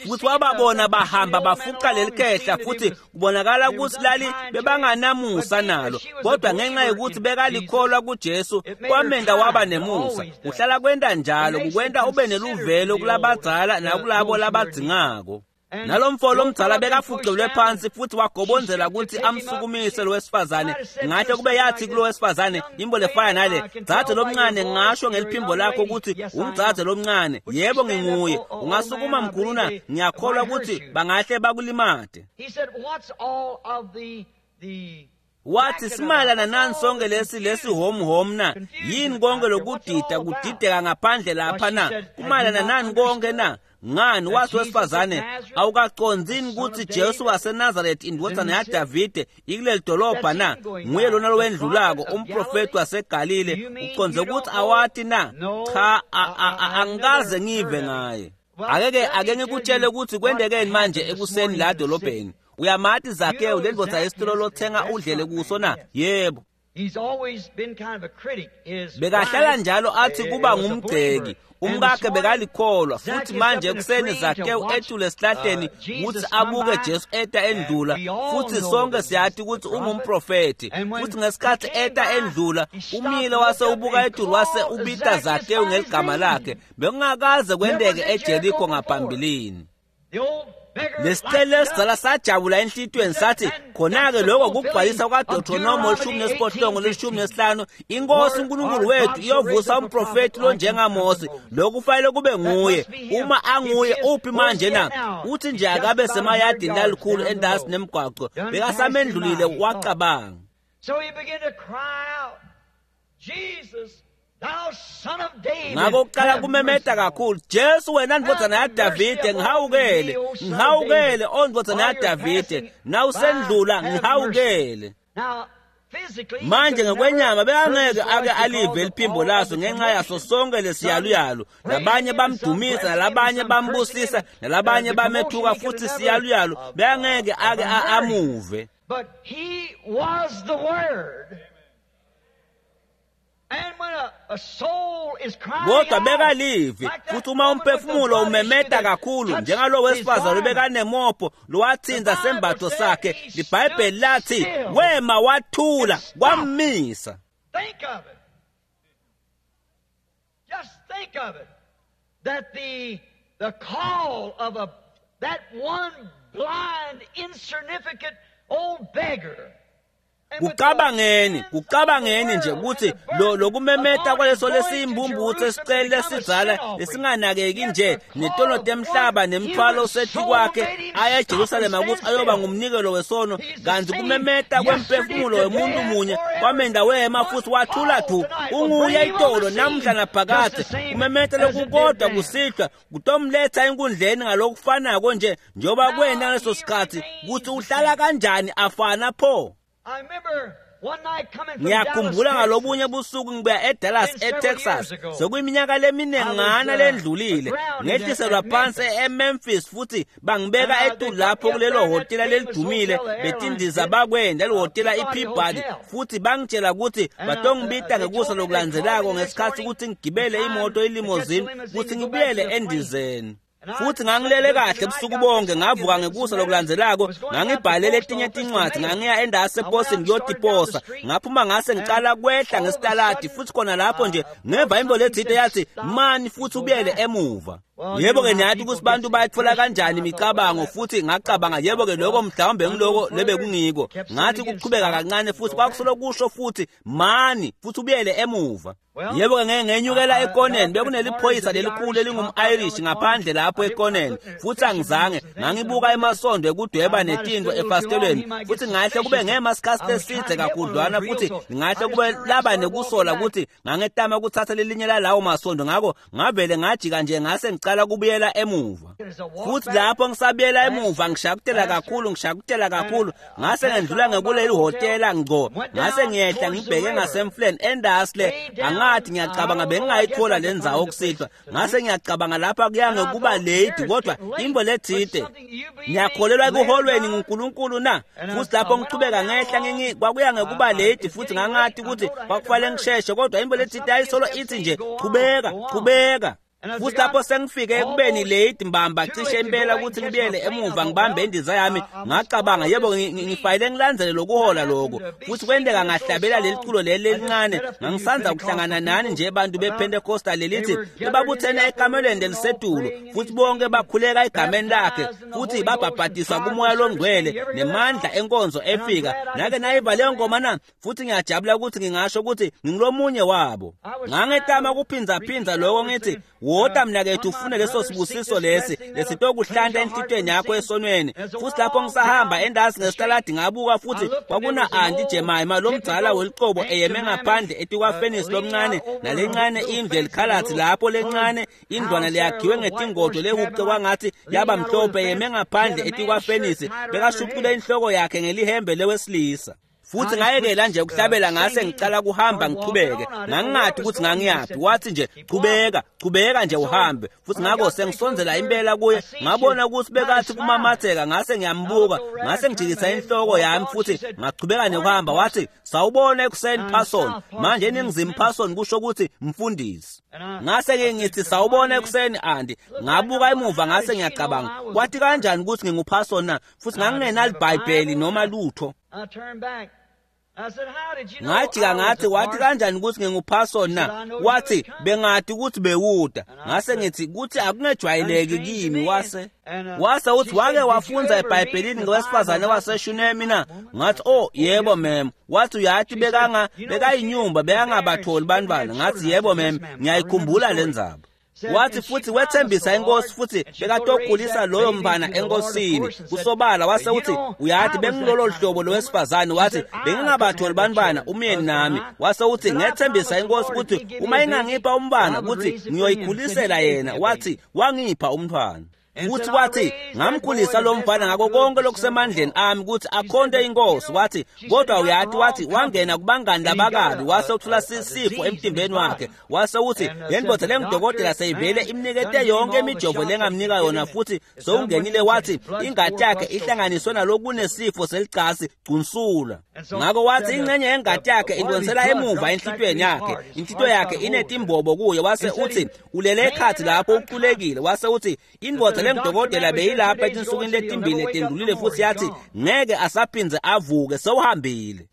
Futhi wababona bahamba bafuqa leli khehla, futhi kubonakala ukuthi lali bebanganamusa nalo, kodwa ngenxa yokuthi bekalikholwa kuJesu kwamenda waba nemusa. Uhlala kwenta njalo, kukwenta ube neluvelo kulabadzala nakulabo labadzingako. Nalomfo lomdzala bekafucelwe phansi futhi wagobonzela ukuthi amsukumise lo wesifazane. Ngahle kube yathi kulo wesifazane imbo lefana nale, dzadze lomncane, ngasho ngeliphimbo lakho ukuthi umdzadze lomncane, yebo nginguye, ungasukuma mkhulu na? Ngiyakholwa ukuthi bangahle bakulimate. Wathi, simayelana nani sonke lesi lesi hom hom na? Yini konke lokudida kudideka ngaphandle lapha na? Kumayelana nani konke na? Ngani, wathi wesifazane, awukacondzini ukuthi Jesu waseNazaretha indvodzana yaDavide ikuleli dolobha na? Nguye lona lowendlulako, umprofeti waseGalile. Uconze ukuthi awati na? Cha, angikaze ngive ngaye. Ake-ke ake ngikutshele ukuthi kwendekeni manje ekuseni la dolobheni. Uyamati Zakewu lendvodza yesitolo lothenga udlele kuso na? Yebo. Bekahlala njalo athi kuba ngumgceki, umkakhe bekalikholwa. Futhi manje ekuseni Zakewu ethule esihlahleni ukuthi abuke Jesu eta endlula, futhi sonke siyathi ukuthi ungumprofeti. Futhi ngesikhathi eta endlula umile wase ubuka etulu wase ubita Zakewu ngeligama lakhe. Bekungakaze kwenteke eJeriko ngaphambilini. Lesicelo esidzala sajabula enhlitiyweni sathi, khona-ke lokho kugcwalisa kwaDeuteronomy lishumi nesiphohlongo lishumi nesihlanu, inkosi uNkulunkulu wethu iyovusa umprofeti lonjengaMose, lokhu kufanele kube nguye. Uma anguye uphi manje na? Uthi nje akabe semayadini lalikhulu endasi nemgwaqo, bekasamendlulile wacabanga. Ngakho kuqala kumemeta kakhulu, Jesu wena ndvodzana yaDavide, ngihawukele, ngihawukele, o ndvodzana yaDavide, nawusendlula ngihawukele. Manje ngokwenyama bekangeke ake alive liphimbo laso ngenxa yaso sonke lesiyaluyalu. Labanye bamdumisa, nalabanye bambusisa, nalabanye bamethuka, futhi siyaluyalu bekangeke ake amuve. But he was the Word. Kodwa bekalivi, futhi uma umphefumulo umemeta kakhulu njengalo wesifazane bekanemopho lowathinza sembatho sakhe, liBhayibheli lathi wema wathula kwammisa. Think of it. Just think of it. That the the call of a that one blind, insignificant old beggar. Kucabangeni, kucabangeni nje ukuthi lo lokumemeta kwaleso lesiyimbumbuthe esiceli lesidzala lesinganakeki nje netono temhlaba nemthwalo osethi kwakhe aya eJerusalema ukuthi ayoba ngumnikelo wesono, kanti kumemeta kwemphefumulo wemuntu munye kwamenda wema futhi wathula thu. Unguye itolo namhla naphakade. Kumemeta lokukodwa kusihlwa kutomletha enkundleni ngalokufanako nje njengoba kwena ngaleso sikhathi ukuthi uhlala kanjani afana pho. Ngiyakhumbula ngalobunye busuku ngibuya eDallas eTexas sekuyiminyaka leminengana lendlulile, ngehliselwa phansi eMemphis futhi bangibeka etulu lapho kulelo hotela lelidumile betindiza bakwenda lihotela iPeabody, futhi bangitshela ukuthi batongibita ngekusa lokulandzelako ngesikhathi ukuthi ngigibele imoto ilimousine ukuthi ngibuyele endizeni. Futhi ngangilele kahle ebusuku bonke, ngavuka ngekusa lokulandzelako ngangibhalele etinye tincwadi, ngangiya endasi eposini ngiyotiposa. Ngaphuma ngase ngicala kwehla ngesitaladi futhi khona lapho nje ngeva imbo lethinte yathi mani futhi ubuyele emuva. Yebo-ke niyathi ukuthi bantu bayithola kanjani imicabango, futhi ngacabanga yebo-ke lokho mhlawumbe ngiloko lebekungiko. Ngathi kuqhubeka kancane futhi kwakusolo kusho futhi mani futhi ubuyele emuva. Yebo-ke ngeke ngenyukela ekoneni, bekuneliphoyisa lelikhulu elingum-Irish ngaphandle lapho ekoneni, futhi angizange ngangibuka emasondo ekudweba netinto efasitelweni, futhi ngahle kube ngema sikhathi eside kakhudlwana, futhi ngahle kube laba nekusola ukuthi ngangetama ukuthatha lelinye lalawo masondo, ngakho ngavele ngajika nje ngase ngicala kubuyela emuva. Futhi lapho ngisabuyela emuva ngishakutela kakhulu ngishakutela kakhulu ngase ngendlula ngekuleli hotela ngco, ngase ngiyehla ngibheke ngasemfuleni endasle. Angathi ngiyacabanga bengingayithola le ndzawo kusihlwa, ngase ngiyacabanga lapha kuyange kuba late, kodwa imbo lethite ngiyakholelwa ekuholweni nguNkulunkulu na. Futhi lapho ngichubeka ngehla ngingi kwakuya ngekuba late, futhi ngangathi ukuthi kwakufanele ngisheshe, kodwa imbo lethite ayisolo ithi nje chubeka chubeka. Futhi lapho sengifike ekubeni late mbamba cishe impela ukuthi ngibuyele emuva ngibambe indiza yami, ngacabanga yebo ngifayile ngilandzele lokuhola lokho. Futhi kwenteka ngahlabela leli culo leli lelincane, ngangisanza kuhlangana nani nje bantu bePentecostal lelithi bebabuthene ekamelweni lelisetulu, futhi bonke bakhuleka egameni lakhe futhi babhabhadiswa kumoya longcwele nemandla enkonzo efika. Nake nayiva leyo ngoma na? Futhi ngiyajabula ukuthi ngingasho ukuthi ngingulomunye wabo. Ngangetama ukuphindzaphindza lokho ngithi wota mnakethu ufune leso sibusiso lesi lesitokuhlanta enhlitweni yakho esonweni. Futhi lapho ngisahamba endasi ngesitaladi ngabuka futhi kwakuna Auntie Jemima lomdzala welicobo eyeme ngaphandle etikwafenisi lomncane nalencane indlu elikhalathi lapho lencane indlwana leyakhiwe ngetingodo lehuce kwangathi yaba mhlophe eyeme ngaphandle etikwafenisi, bekashuqule inhloko yakhe ngelihembe lewesilisa. Futhi ngayekela nje ukuhlabela ngase ngicala kuhamba ngichubeke, ngangingathi ukuthi ngangiyaphi, wathi nje chubeka chubeka nje uhambe. Futhi ngakho sengisondzela impela kuye, ngabona ukuthi bekathi kumamatheka, ngase ngiyambuka, ngase ngijikisa inhloko yami futhi ngachubeka nekuhamba. Wathi sawubona ekuseni Parson, manje eningizimu Parson kusho ukuthi mfundisi. Ngase ke ngithi sawubona ekuseni Auntie, ngabuka emuva ngase ngiyacabanga kwathi kanjani ukuthi nginguParson na, futhi ngangingenalibhayibheli noma lutho. Ngajika ngathi wathi kanjani ukuthi nginguParson na, wathi bengathi ukuthi bewuda. Ngase ngithi kuthi akungejwayeleki kimi. Wase wase uthi wake wafunza eBhayibhelini ngowesifazane waseShunemi na? Ngathi oh yebo ma'am. Wathi uyathi bekanga bekayinyumba bekangabatholi bantwana. Ngathi yebo ma'am, ngiyayikhumbula le ndzaba. Wathi futhi wethembisa inkosi futhi bekatokhulisa loyo mntwana enkosini kusobala. Wase uthi uyathi bengilolo hlobo lowesifazane, wathi bengingabatholi bantwana umyeni nami. Wase uthi ngethembisa inkosi ukuthi uma ingangipha umntwana ukuthi ngiyoyikhulisela yena. Wathi wangipha umntwana. Futhi wathi ngamkhulisa lo mfana ngako konke lokusemandleni ami ukuthi akhonte inkosi. Wathi kodwa uyathi wathi wangena kubangani labakabi, wase uthola sisifo emtimbeni wakhe. Wase uthi le ndoda lengudokotela seyivele imnikete yonke imijovo lengamnika yona futhi sowungenile. Wathi ingati yakhe ihlanganiswe nalokunesifo selicasi gcunsula. Ngakho wathi ingxenye yengati yakhe indonsela emuva enhlitweni yakhe, inhlityo yakhe inetimbobo kuyo. Wase uthi ulele ekhathi lapho uqulekile. Wase uthi indoda lengudokotela beyilapha etinsukwini letimbili letendlulile futhi yathi ngeke asaphindze avuke, sewuhambile.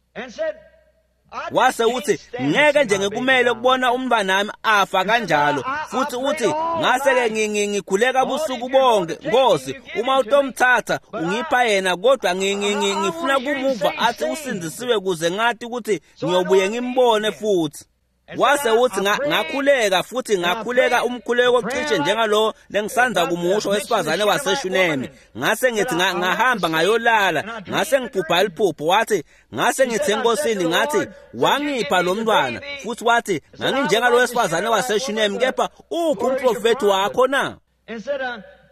Wase uthi ngeke nje ngikumele ukubona umntwanami afa kanjalo. Futhi uthi ngase-ke ngikhuleka busuku bonke, Nkosi, uma utomthatha ungipha yena, kodwa ngifuna kumuva athi usindisiwe kuze ngathi ukuthi ngiyobuye ngimbone futhi. Wase uthi ngakhuleka futhi ngakhuleka umkhuleko cishe njengalo lengisanza kumusho wesifazane waseShunemi. Ngase ngithi ngahamba ngayolala, ngase ngiphupha liphupho. Wathi ngase ngithi enkosini, ngathi wangipha lo mntwana. Futhi wathi nganginjengalo wesifazane waseShunemi, kepha uphi umprofethi wakho na?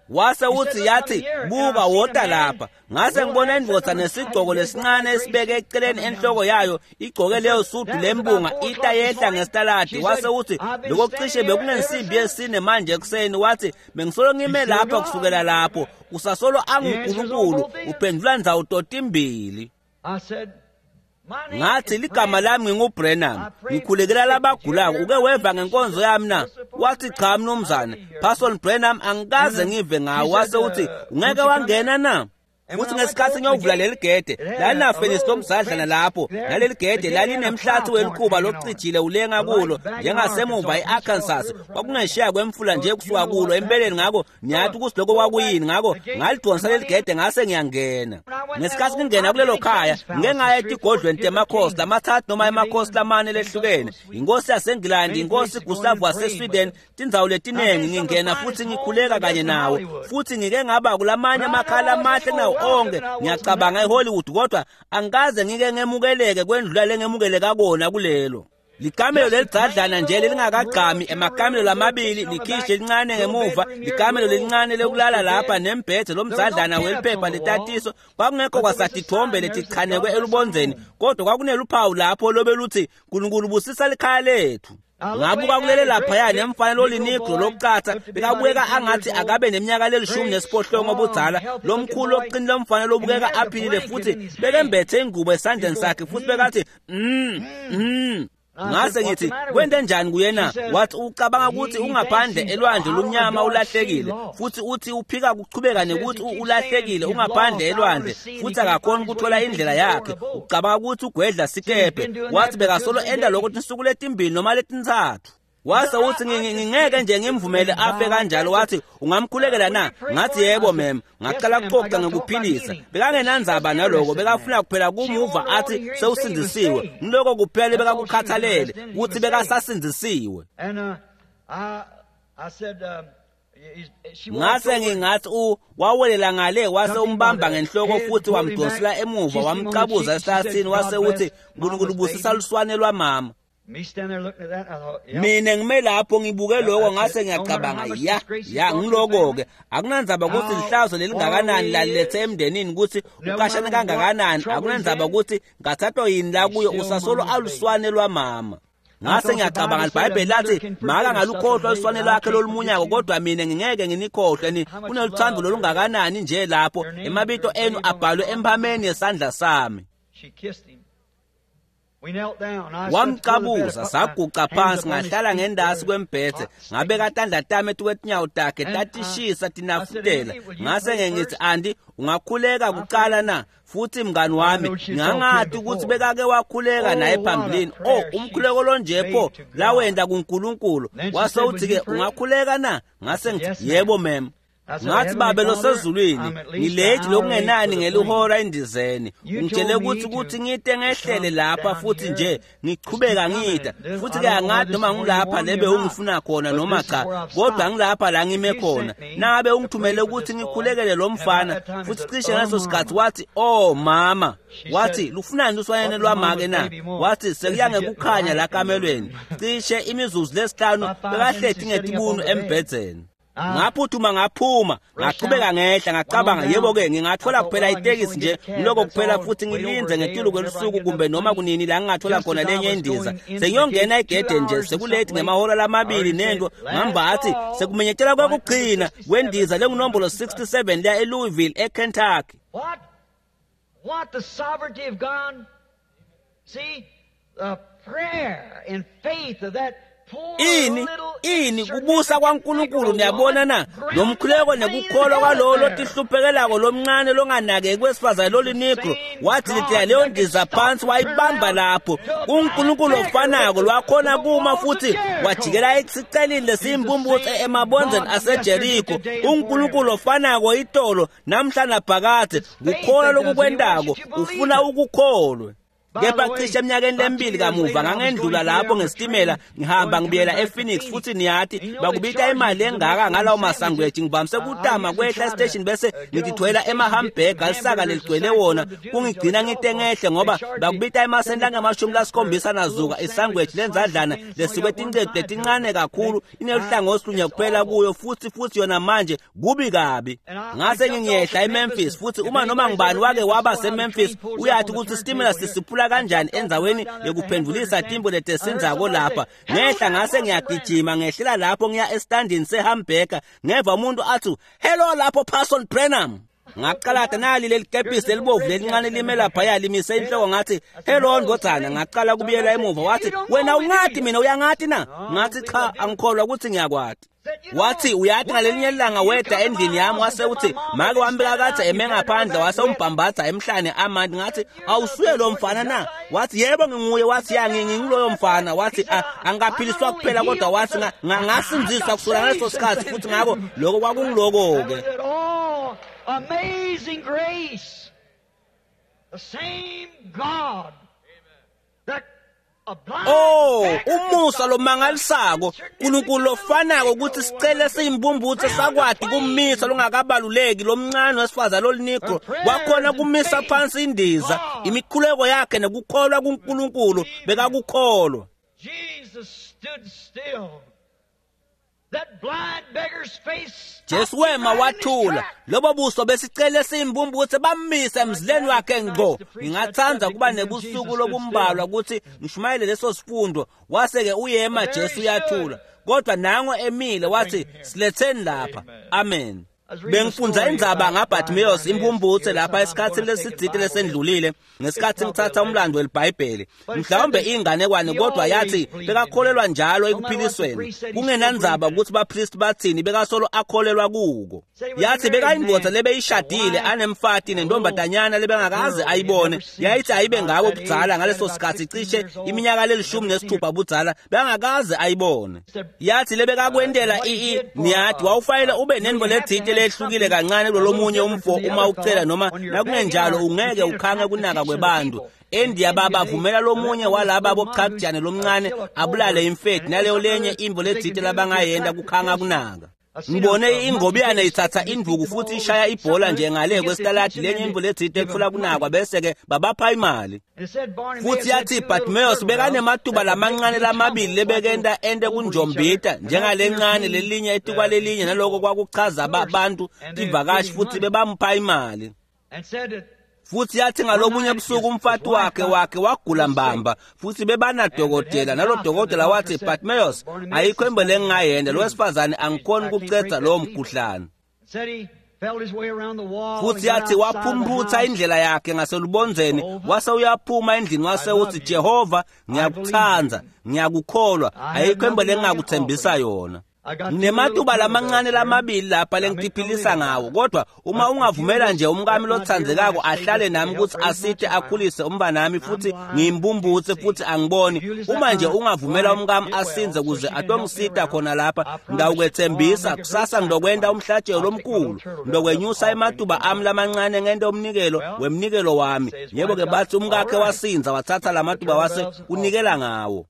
Wase uthi yathi buka wota lapha. Ngase ngibona indvodza nesigcoko lesincane esibeke eceleni enhloko yayo, igcoke leyo sudu lembunga ita yehla ngesitaladi. Wase uthi lokho cishe bekunensimbi yesine manje ekuseni. Wathi bengisolo ngime lapha kusukela lapho, usasolo anguNkulunkulu uphendula ndzawo totimbili. Ngathi ligama lami nginguBrenham, ngikhulekela labagulako. Uke weva ngenkonzo yami na? Wathi cha mnumzane, Parson Branham angikaze ngive ngawo. Wase uthi ungeke wangena na? Futhi ngesikhathi ngiyovula leli gede, lalinafenisi lomzadlana lapho, naleli gede lalinemhlathi welikhuba locijile ulenga kulo njengasemuva e-Arkansas. Kwakungesheya kwemfula nje kusuka kulo empeleni, ngakho niyathi ukuthi lokho kwakuyini. Ngakho ngalidonsa leli gede ngase ngiyangena. Ngesikhathi ngingena kulelo khaya, ngike ngaya etigodlweni temakhosi lamathathu noma emakhosi lamane lehlukene, inkosi yaseNgilandi, inkosi Gustav waseSweden, tindzawo letinengi. Ngingena futhi ngikhuleka kanye nawo, futhi ngike ngaba kulamanye amakhala amahle nawo onke, ngiyacabanga eHollywood, kodwa angikaze ngike ngemukeleke kwendlula lengemukeleka kona kulelo likamelo lelidzadlana nje lelingakagqami, emakamelo lamabili, likhishi elincane ngemuva, likamelo lelincane lekulala lapha, nembhede lomdzadlana weliphepha letatiso. Kwakungekho kwasatithombe letichanekwe elubondzeni, kodwa kwakuneluphawu lapho lobe luthi Nkulunkulu busisa likhaya lethu. Ngabuka kulele laphaya nemfana lolinigro lokucatha, bekabukeka angathi akabe neminyaka lelishumi nesiphohlongo obudzala, lomkhulu oqinile lomfana lobukeka aphilile, futhi bekembethe ingubo esandleni sakhe, futhi bekathi mm mm. Ngase ngithi kwente njani kuyena? Wathi ucabanga ukuthi ungaphandle elwandle lumnyama ulahlekile, futhi uthi uphika kuchubeka nekuthi ulahlekile ungaphandle elwandle, futhi akakhoni ukuthola indlela yakhe, ucabanga ukuthi ugwedla sikebhe. Wathi bekasolo enda lokho tinsuku letimbili noma letintsatfu. Wase uthi ngingeke nje ngimvumele afe kanjalo. Wathi ungamkhulekela na? Ngathi yebo mem. Ngaqala kuxoxa ngekuphilisa. Bekangenandzaba naloko, bekafuna kuphela kumuva athi sewusindisiwe. Ngiloko kuphela bekakukhathalele ukuthi bekasasindisiwe. Ngase ngingathi u wawelela ngale, wase umbamba ngenhloko futhi wamdonsela emuva, wamcabuza esihlathini. Wase uthi Nkulunkulu busisa luswane lwamama. Mina ngime lapho ngibuke lokho, ngase ngiyacabanga ya ya ngiloko-ke. Akunandzaba ukuthi lihlazo lelingakanani lalilethe emndenini, ukuthi ukashane kangakanani, akunandzaba ukuthi ngathathwa yini la kuyo, usasolo aluswane lwamama. Ngase ngiyacabanga, libhayibheli lathi maka ngalukhohlwa luswane lwakhe lolumunyako, kodwa mina ngingeke nginikhohlwe. Ni kuneluthando lolungakanani nje lapho emabito enu abhalwe emphameni yesandla sami. Wamcabuza, saguca phansi, ngahlala ngendasi kwembhedze, ngabeka tandla tami etukwetinyawo takhe, tatishisa tinafutela. Ngase ngithi Andi, ungakhuleka kuqala na? Futhi mngani wami, ngangathi ukuthi bekake wakhuleka naye phambilini. Oh, umkhuleko lonje pho lawenda kuNkulunkulu. Wase uthi-ke ungakhuleka na? Ngase ngithi yebo mem. Ngathi babe losezulwini, ngilethi lokungenani ngelihora endizeni. Ungitshele ukuthi ukuthi ngite ngehlele lapha futhi nje ngichubeka ngida. Futhi ke angathi noma ngilapha lebe ungifuna khona noma cha, kodwa ngilapha la ngime khona. Nangabe ungithumele ukuthi ngikhulekele lo mfana, futhi cishe ngaleso sikhathi wathi oh mama, wathi lufunani luswanyane lwamake na? Wathi sekuya ngekukhanya la kamelweni. Cishe imizuzu lesihlanu bekahleti ngetibunu embhedzeni. Ngaphuthuma ngaphuma, ngachubeka ngehla, ngacabanga yebo-ke ngingathola kuphela itekisi nje ngiloko kuphela, futhi ngilinze ngetulu kwelusuku kumbe noma kunini la ngingathola khona lenye indiza. Sengiyongena egede nje sekulethi ngemahora lamabili nento, ngambathi sekumenyetela kwekugcina kwendiza lengunombolo sixty-seven leya eLouisville eKentucky. What? What the sovereignty of God? See, the prayer and faith of that Ini ini kubusa kwaNkulunkulu niyabona na lomkhuleko nekukholwa kwalowo lotihluphekelako lomncane longanakeki wesifazane lolinikro wathi litela leyo ndiza phansi wayibamba lapho uNkulunkulu ofanako lwakhona kuma futhi wajikela esicelini lesiyimbumbuthe emabonzeni aseJeriko uNkulunkulu ofanako itolo namhla naphakade kukholwa lokukwentako ufuna ukukholwe. Kepha cishe eminyakeni lemibili kamuva ngangendlula lapho ngesitimela ngihamba ngibuyela ePhoenix futhi niyathi bakubita imali engaka ngalawo masangweji ngivamise kutama kwehla estation bese ngithwela ema-hamburger lisaka leligcwele wona kungigcina ngite ngehle ngoba bakubita emasenti angamashumi lasikhombisa nazuka isangweji lenzadlana lesikwe tincetu letincane kakhulu ineluhlangothi lunye kuphela kuyo futhi futhi yona manje kubi kabi. Ngase ngiyehla eMemphis futhi uma noma ngibani wake waba seMemphis uyathi ukuthi isitimela sisiphula kanjani endzaweni yokuphendulisa timbo letesinzako lapha. Ngehla ngase ngiyagijima ngehlela lapho ngiya estandini sehamburger ngeva umuntu athi hello lapho Parson Branham. Ngaqala nali leli kepisi elibovu lelincane lime laphaya limise inhloko ngathi hello ndvodzana. Ngaqala kubuyela emuva wathi wena ungathi mina uyangathi na? Ngathi cha angikholwa ukuthi ngiyakwati. Wathi uyathi ngalelinye ilanga weda endlini yami wase uthi make wami bekakade eme ngaphandle wase umbhambatha emhlane amanti. Ngathi awusuye lo mfana na? Wathi yebo nginguye. Wathi ya nginguloyo mfana. Wathi angikaphiliswa kuphela kodwa wathi ngasindziswa kusukela ngaleso sikhathi futhi ngako lokho kwakungiloko-ke. Amazing grace, the same God that Oh, umusa lomangalisako uNkulunkulu ofanako ukuthi sicele siyimbumbuthe sakwati kumisa longakabaluleki lomncane wesifazane lolinikro wakhona kumisa phansi indiza imikhuleko yakhe nekukholwa kuNkulunkulu bekakukholwa. Jesus stood still. That blind beggar's face. Jesu wema wathula lobo buso besicele siyimbumbuthe bammise emzileni wakhe ngqo. Ngingathanda kuba nebusuku lobumbalwa ukuthi ngishumayele leso sifundo. Wase-ke uyema Jesu uyathula kodwa nango emile wathi siletheni lapha. Amen. Bengifundza indzaba ngaBartimaeus impumputhe lapha esikhatsini lesitsite lesendlulile ngesikhathi ngithatha umlando weliBhayibheli mhlawumbe inganekwane kodwa yathi bekakholelwa njalo ekuphilisweni kungenandzaba ukuthi bapristi bathini bekasolo akholelwa kuko. Yathi bekayindvodza lebeyishadile anemfati nentombazanyana lebengakaze ayibone yayithi ayibe ngabo budzala ngaleso sikhathi cishe iminyaka lelishumi nesithupha budzala bengakaze ayibone. Yathi lebekakwentela ii niyathi wawufanele ube nendvo letsite lehlukile kancane kulolomunye umfo uma ucela noma nakungenjalo ungeke ukhange kunaka kwebantu. Endiya baba vumela lomunye walaba bochakujane lomncane abulale imfeti naleyo lenye imvo letsite labangayenda kukhanga kunaka. Ngibone ingobiyane ithatha induku futhi ishaya ibhola nje ngale kwesitaladi lenye imvo letsite ekufuna kunakwa bese-ke babapha imali. Futhi yathi Bartimaeus bekanematuba lamancane lamabili lebekenta ente kunjombita njengalencane lelinye etikwalelinye naloko kwakuchaza abantu tivakashi futhi bebampha imali. Futhi yathi ngalobunye busuku umfati wakhe wakhe wagula mbamba futhi bebanadokotela nalo dokotela wathi Bartimaeus ayikho imbo lengingayenda lo wesifazane angikhoni ukucedza lowo mkhuhlane. Futhi yathi waphumputha indlela yakhe ngaselubondzeni wase uyaphuma endlini wase uthi Jehova ngiyakuthanda ngiyakukholwa ayikho imbo lengingakuthembisa yona. Nginematuba lamancane lamabili lapha lengitiphilisa ngawo kodwa uma ungavumela nje umkami lothandzekako ahlale nami ukuthi asite akhulise umntanami futhi ngiyimbumbuthe futhi angiboni uma nje ungavumela umkami asinze kuze atongisita khona lapha ngawukwethembisa kusasa ngilokwenta umhlatshelo omkhulu ngilokwenyusa ematuba ami lamancane ngente umnikelo wemnikelo wami. Yebo-ke bathi umkakhe wasinza wathatha lamatuba wase unikela ngawo.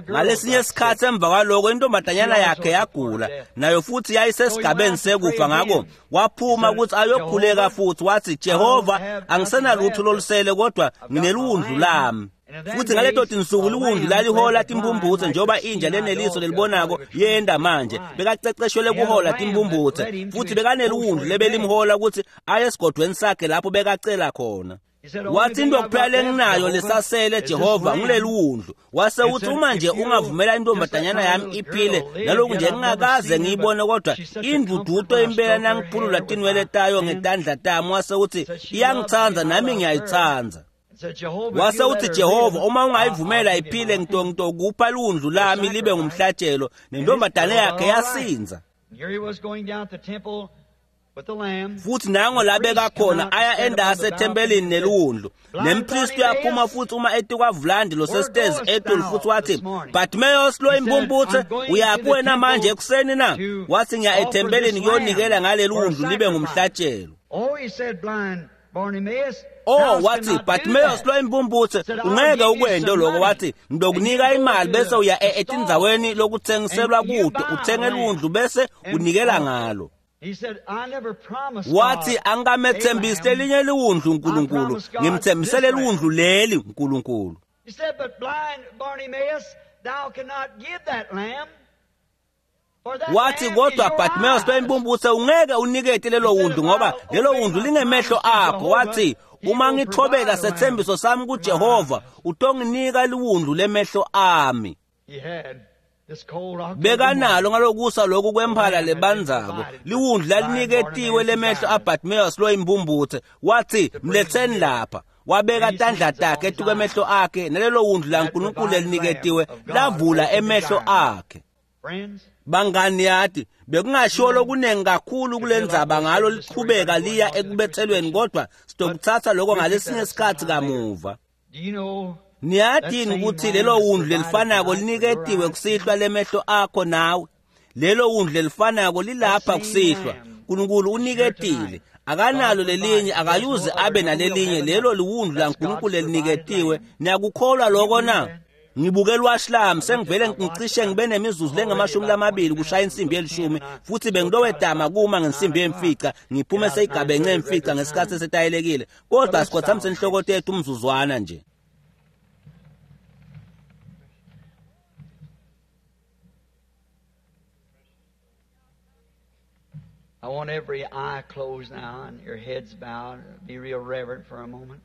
Ngalesinye isikhathi emva kwaloko intombazanyana yakhe yagula nayo futhi yayisesigabeni sekufa ngako waphuma ukuthi ayokhuleka futhi wathi Jehova angisenalutho lolusele kodwa ngineliwundlu lami. Futhi ngaleto tinsuku liwundlu lalihola timbumbuthe njengoba inja leneliso lelibonako yenda manje bekaceceshelwe kuhola timbumbuthe futhi bekaneliwundlu lebelimhola ukuthi aye esigodweni sakhe lapho bekacela khona. Wathi into kuphela lenginayo lesasele Jehova ngileliwundlu. Wase uthi uma nje ungavumela intombazanyana yami iphile naloku nje ngingakaze ngiyibone kodwa induduto impela nangiphulula tinwele tayo ngetandla tami. Wase uthi iyangithanda nami ngiyayithanda. Wase uthi Jehova, uma ungayivumela iphile ngitongitokupha liwundlu lami libe ngumhlatshelo. Nentombazane yakhe yasinza. Futhi nango labeka khona aya endase ethempelini neliwundlu. Nempristi uyaphuma futhi uma etikwavulandi losesitezi etulu futhi wathi, Bartimaeus lo impumputhe, uyaphi wena manje ekuseni na? Wathi, ngiya ethempelini kuyonikela ngaleli wundlu libe ngumhlatshelo. Oh, wathi, Bartimaeus lo impumputhe, ungeke ukwente lokho. Wathi, ngizokunika imali bese uya etindzaweni lokuthengiselwa kude, uthenge liwundlu bese unikela ngalo. Wathi, angikamethembisi lelinye liwundlu uNkulunkulu, ngimthembisele liwundlu leli uNkulunkulu. Wathi, kodwa Bartimaeus lo impumputhe, ungeke unikete lelo wundlu ngoba lelo wundlu lingemehlo akho. Wathi, uma ngithobela sethembiso sami kuJehova, utonginika liwundlu lemehlo ami. Bekanalo ngalokusa lokhu kwemphala lebanzako liwundlu laliniketiwe lemehlo aBartimaeus lo impumputhe. Wathi, mletheni lapha. Wabeka tandla takhe etukwemehlo akhe, nalelo wundlu laNkulunkulu leliniketiwe lavula emehlo akhe. Bangani, yathi bekungashiwo lokunengi kakhulu kulendzaba ngalo liqhubeka liya ekubethelweni, kodwa sitokuthatha lokho ngalesinye isikhathi kamuva. Niyadini ukuthi lelo wundlu lelifanako liniketiwe kusihlwa lemehlo akho nawe. Lelo wundlu lelifanako lilapha kusihlwa. uNkulunkulu uniketile, akanalo lelinye, akayuze abe nalelinye. Lelo liwundlu laNkulunkulu leliniketiwe. Niyakukholwa lokho na? Ngibuke lwashi lami sengivele ngicishe ngibe nemizuzu lengamashumi lamabili kushaya insimbi yelishumi, futhi bengilowedama kuma ngensimbi yemfica ngiphume seyigabenxe emfica ngesikhathi esetayelekile. Kodwa sikhothamise inhloko tethu umzuzwana nje. I want every eye closed now and your heads bowed. Be real reverent for a moment.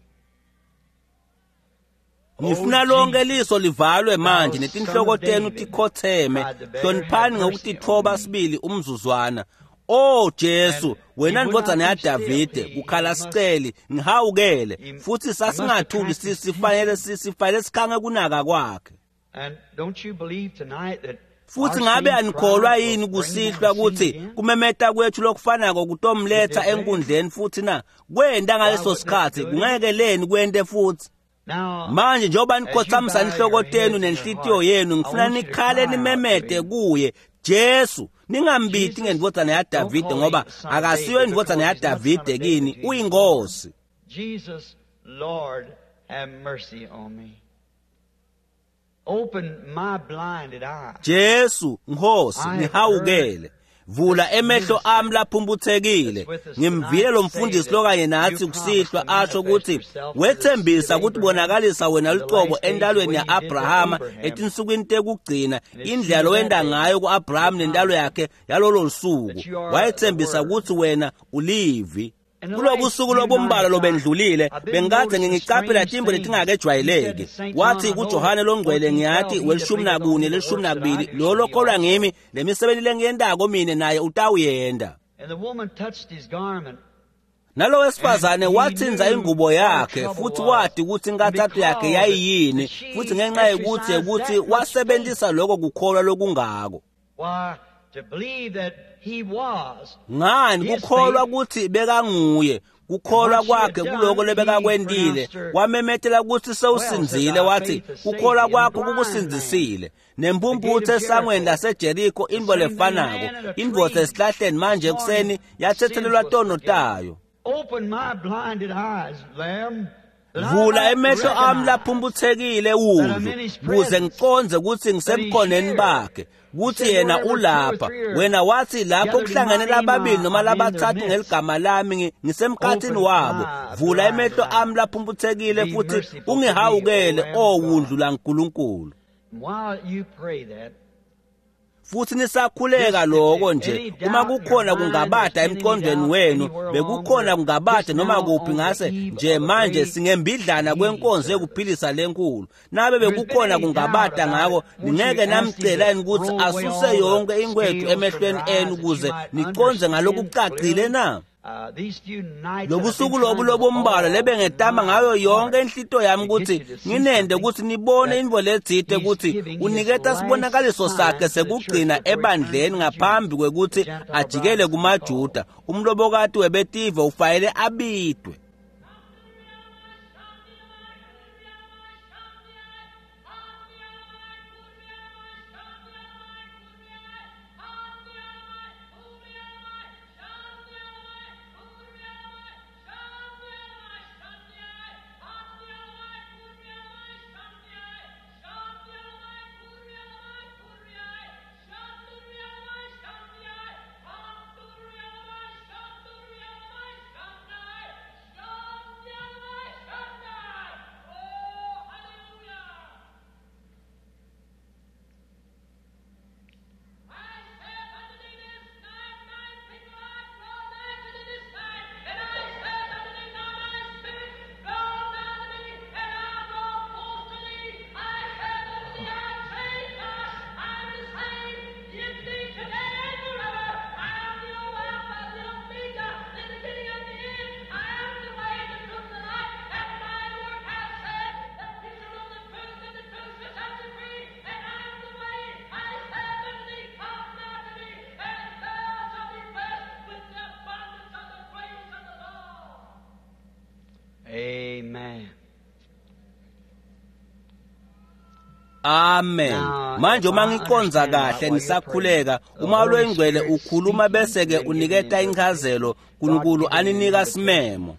Ngifuna lonke liso livalwe manje netinhloko tenu tikhotheme. Hloniphani ngokutithoba sibili umzuzwana. Oh Jesu, wena ndvodzana yaDavide, kukhala siceli, ngihawukele. Futhi sasingathuli, sifanele sifanele sikhange kunaka kwakhe. And don't you believe tonight that Futhi ngabe anikholwa yini kusihlwa ukuthi kumemeta kwethu lokufanako kutomletha enkundleni futhi na? Kwenta ngaleso sikhathi, kungeke leni kwente futhi. Manje njengoba nikhothamisa inhloko tenu nenhlitiyo yenu, ngifuna nikhale nimemete kuye, Jesu, ningambiti ngendvodzana yaDavide, ngoba akasiyo indvodzana yaDavide kini, uyinkosi. Jesus, Lord, have mercy on me. Open my blinded eyes. Jesu, Nkosi, ngihawukele. Vula emehlo ami laphumputhekile. Ngimvile lo mfundisi lokanye nathi kusihlwa asho ukuthi wethembisa ukuthi bonakalisa wena lucobo endalweni ya-Abrahama etinsukwini tekugcina, indlela lowenda ngayo ku-Abraham nendalo yakhe yalolo suku. Wayethembisa ukuthi wena ulivi. Kulobusuku lobumbalwa lobendlulile bengikade ngingicaphela timbo letingakejwayeleki. Wathi kuJohane longcwele, ngiyathi welishumi nakune lelishumi nakubili, lo lokholwa ngimi, lemisebenzi lengiyentako mine naye utawuyenda. Nalo wesifazane wathinza ingubo yakhe futhi wati ukuthi inkathatho yakhe yayiyini, futhi ngenxa yokuthi ukuthi wasebenzisa lokho kukholwa lokungako. Ngani kukholwa ukuthi bekanguye, kukholwa kwakhe kuloko lebekakwentile, wamemetela ukuthi sewusinzile. Wathi kukholwa kwakho kukusinzisile. Nempumputhe esangweni laseJeriko, intfo lefanako, indvodza esihlahleni manje ekuseni yathethelelwa tono tayo. Vula emehlo ami laphumputhekile wundlu, kuze ngicondze ukuthi ngisebukhoneni bakhe, kuthi yena ulapha. Wena wathi lapho kuhlangene lababili noma labathathu ngeligama lami, ngisemkhathini wabo. Vula emehlo ami laphumputhekile futhi ungihawukele, o wundlu laNkulunkulu. Futhi nisakhuleka lokho nje, uma kukhona kungabada emqondweni wenu, bekukhona kungabada noma kuphi ngase nje manje singembidlana kwenkonzo yokuphilisa lenkulu. Nabe bekukhona kungabada ngako, ningeke namcela yini ukuthi asuse yonke inkwethu emehlweni enu ukuze niconze ngalokucacile na? Lobusuku lobu lobumbalwa lebengetama ngayo yonke inhlito yami kutsi nginende kutsi nibone intfo letsite kutsi uniketa sibonakaliso sakhe sekugcina ebandleni ngaphambi kwekutsi ajikele kumaJuda. Umlobokati webetive ufanele abitwe. Amen. Amen. Manje uma ngiqonza kahle nisakhuleka, uma lwengcwele ukhuluma bese ke uniketa inchazelo, uNkulunkulu aninika simemo.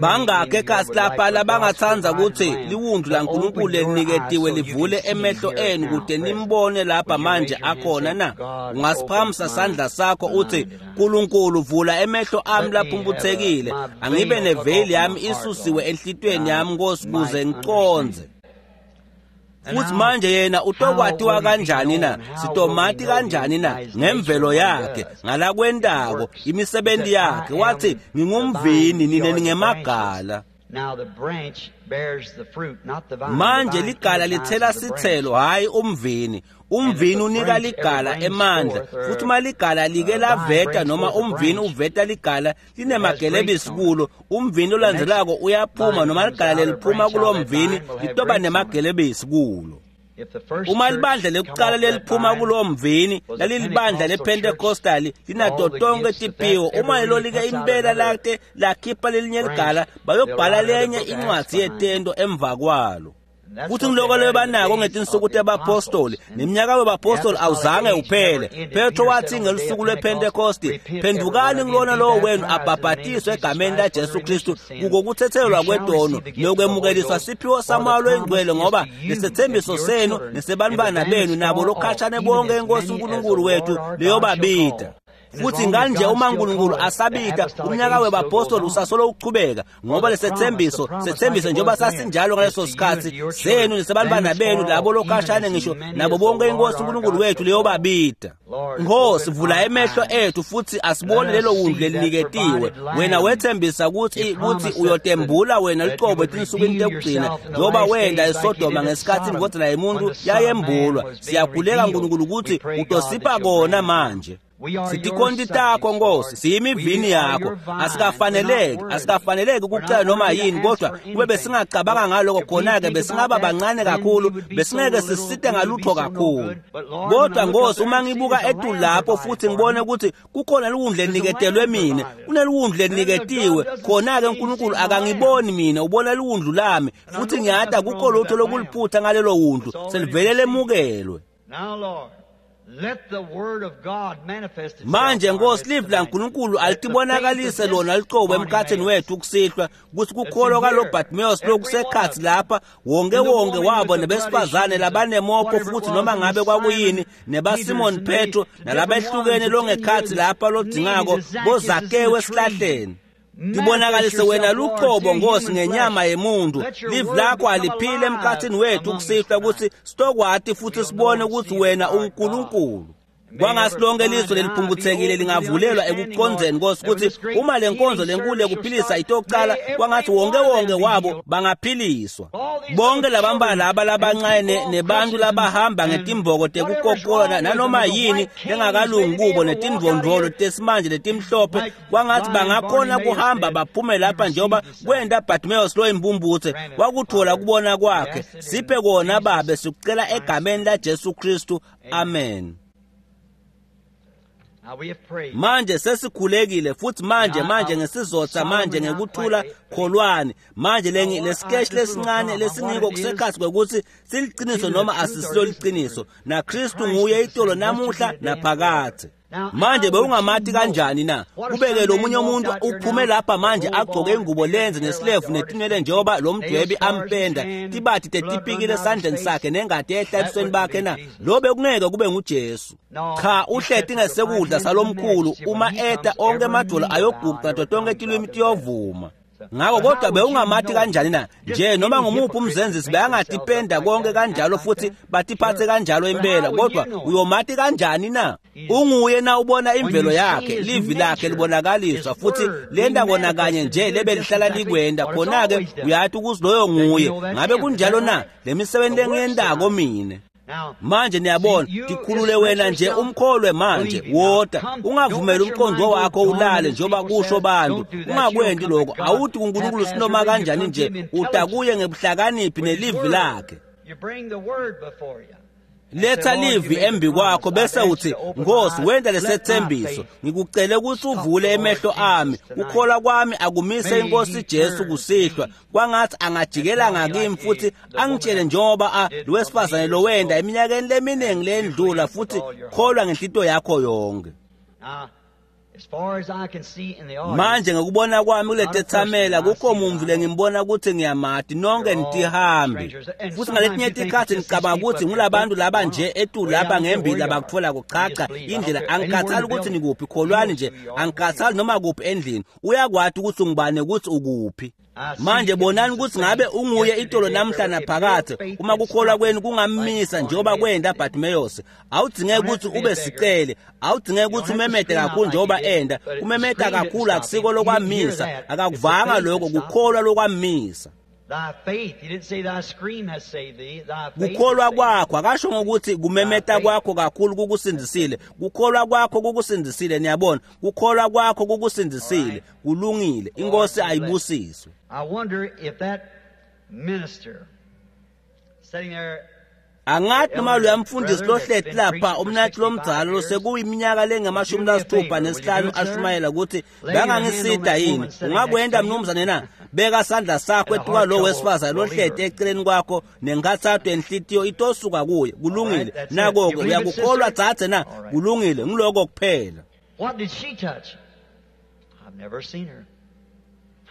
Bangakhe ekhasi lapha labangatsandza kutsi liwundlu laNkulunkulu leliniketiwe livule emehlo enu kute nimbone lapha manje akhona na? Ungasiphakamisa sandla sakho utsi, Nkulunkulu vula emehlo ami laphumphutsekile, angibe neveyili yami isusiwe enhlitiyweni yami Nkosi kuze ngicondze. Futhi manje yena utokwatiwa kanjani na? Sitomati kanjani na? Ngemvelo yakhe, ngalakwentako, imisebenzi yakhe. Wathi, ngingumvini, nine ningemagala. Manje ligala lithela sithelo, hhayi umvini. Umvini unika ligala emandla, futhi uma ligala like laveta noma umvini uveta ligala linemagelebisi kulo, umvini olandzelako uyaphuma noma ligala leliphuma kulo mvini litoba nemagelebisi kulo. Uma libandla lekucala leliphuma kulo mvini lalilibandla lePentecostal linato tonke tiphiwo, uma lelo like impela late lakhipha lelinye ligala, bayobhala lenye incwadzi yetento emva kwalo. Futhi ngiloko lebanako ngetinsuku tebapostoli, neminyaka webapostoli awuzange uphele. Petro wathi ngelusuku lwePentekosti, phendukani kulona lowo wenu abhabhatiswe egameni laJesu Kristu kuko kuthethelelwa kwetono nokwemukeliswa siphiwo saMoya loyiNgcwele, ngoba lesethembiso senu nesebantwana benu nabo lokhashane bonke iNkosi uNkulunkulu wethu leyobabita. Futhi nganje uma uNkulunkulu asabita, umnyaka webapostoli usasolo uchubeka, ngoba lesethembiso sethembiso njengoba sasinjalo ngaleso sikhathi senu nesebantwana benu labo lokhashane ngisho nabo bonke iNkosi uNkulunkulu wethu leyobabita. Nkosi, vula emehlo ethu futhi asibone lelo wundlu leliniketiwe. Wena wethembisa ukuthi ukuthi uyotembula wena luqobo etinsukwini tekugcina, njengoba wenda eSodoma ngesikhathi indvodzana yemuntu yayembulwa. Siyakhuleka uNkulunkulu ukuthi utosipha kona manje. Sitikhonti takho Nkosi, siyimivini yakho. Asikafaneleki, asikafaneleki ukucela noma yini, kodwa kube besingacabanga ngaloko khona-ke besingaba bancane kakhulu, besingeke sisite ngalutho kakhulu. Kodwa Nkosi, uma ngibuka etulu lapho futhi ngibone ukuthi kukhona liwundlu leliniketelwe mina, kuneliwundlu leliketiwe, khona-ke uNkulunkulu akangiboni mina, ubona liwundlu lami, futhi ngiyati akukho lutho lokuliphutha ngalelo wundlu, selivele lemukelwe. Manje Nkosi, livi laNkulunkulu alitibonakalise lona licobo emkhathini wethu kusihlwa, kutsi kukholwa kwalo Bartimaeus lokusekhatsi lapha, wonke wonke wabo nebesifazane labanemopho futhi noma ngabe kwakuyini, nebaSimon Petro nalabehlukene longekhatsi lapha lodzingako boZakewu esihlahleni. Tibonakalise wena luqobo Nkosi ngenyama yemuntu. Livi lakho aliphile emkhathini wethu kusihlwa kutsi sitokwati futhi sibone ukuthi wena unguNkulunkulu. Kwangasi lonke lizwe leliphumputhekile lingavulelwa ekucondzeni Nkosi kutsi uma le nkonzo lenkulu yekuphilisa itocala, kwangathi wonke wonke wabo bangaphiliswa. Bonke labamba laba labancane nebantu labahamba ngetimboko tekukokola nanoma yini lengakalungi kubo netindvondvolo tesimanje letimhlophe, kwangathi bangakhona kuhamba baphume lapha njengoba kwenta Bartimaeus loyimpumputse wakuthola kubona kwakhe. Siphe kona Babe, sikucela egameni la Jesu Kristu, amen. Manje sesikhulekile futhi manje manje ngesizotha manje ngekuthula kholwani manje lengi lesikeshi lesincane lesingiko kusekhathi kwekuthi siliqiniso noma asisilo liqiniso, na Kristu nguye itolo namuhla naphakathe. Manje bewungamati kanjani na? Kubeke lo munye umuntu uphume lapha manje agcoke ingubo lenze nesilevu netinwele njengoba lo mdwebi ampenda, tibathi tetipikile esandleni sakhe nengati ehla ebusweni bakhe na? Lo bekungeke kube nguJesu. Cha, uhleti ngesekudla salomkhulu, uma eta onke emadolo ayoguqa nato tonke tilwimi tiyovuma. Ngakho kodwa bewungamati kanjani na? Nje noma ngumuphi umzenzisi beyangatipenda konke kanjalo futhi batiphathe kanjalo impela, kodwa uyomati kanjani na? Unguye na ubona imvelo yakhe, livi lakhe libonakaliswa futhi lenda kona kanye nje lebe lihlala likwenda, khona-ke uyathi ukuthi loyo nguye. Ngabe kunjalo na? Le misebenzi lengiyendako mine. Manje niyabona, tikhulule wena nje umkholwe manje, wota ungavumeli umqondo wakho ulale njengoba kusho bantu. Ungakwendi lokho, awuthi kuNkulunkulu sinoma kanjani nje, utakuye ngebuhlakaniphi nelivi lakhe. Letha livi embi kwakho bese uthi, Nkosi, wenda lesethembiso, ngikucele ukuthi uvule emehlo ami, ukukholwa kwami akumise inkosi Jesu kusihlwa, kwangathi angajikela ngakimi futhi angitshele njengoba a lowesifazane lo wenda eminyakeni leminingi lendlula, futhi kholwa ngenhlito yakho yonke. Manje ngokubona kwami kuletethamela kukho mumvu lengimbona ukuthi ngiyamati, nonke nitihambi. Futhi ngaletinye tikhathi ngicabanga ukuthi ngulabantu laba nje etulu lapha ngembili labakutfola kuchacha indlela. Angikhathali ukuthi nikuphi, kholwani nje, angikhathali noma kuphi endlini, uyakwati ukuthi ungubani ukuthi ukuphi. Manje bonani ukuthi ngabe unguye itolo namhla naphakathe, uma kukholwa kwenu kungamisa njengoba kwenda Bartimaeus. Awudzingeki ukuthi ube sicele, awudzingeki ukuthi umemede kakhulu njengoba enda. Kumemeda kakhulu akusiko lokwamisa, akakuvanga lokho, kukholwa lokwamisa. Kukholwa kwakho, akasho ngokuthi kumemeta kwakho kakhulu kukusindisile, kukholwa kwakho kukusindisile. Niyabona, kukholwa kwakho kukusindisile. Kulungile, inkosi ayibusiswe. Angathi noma loya mfundisi lohleti lapha umnathi lomdzala losekuyiminyaka lengamashumi lasithupha nesihlanu ashumayela ukuthi bengangisida yini, ungakwenda mnumzane na? Beka sandla sakho etuka lo wesifazane lohleti eceleni kwakho nenkathatho yenhlitiyo itosuka kuye. Kulungile, nako-ke uyakukholwa dzadze na? Kulungile, ngiloko kuphela.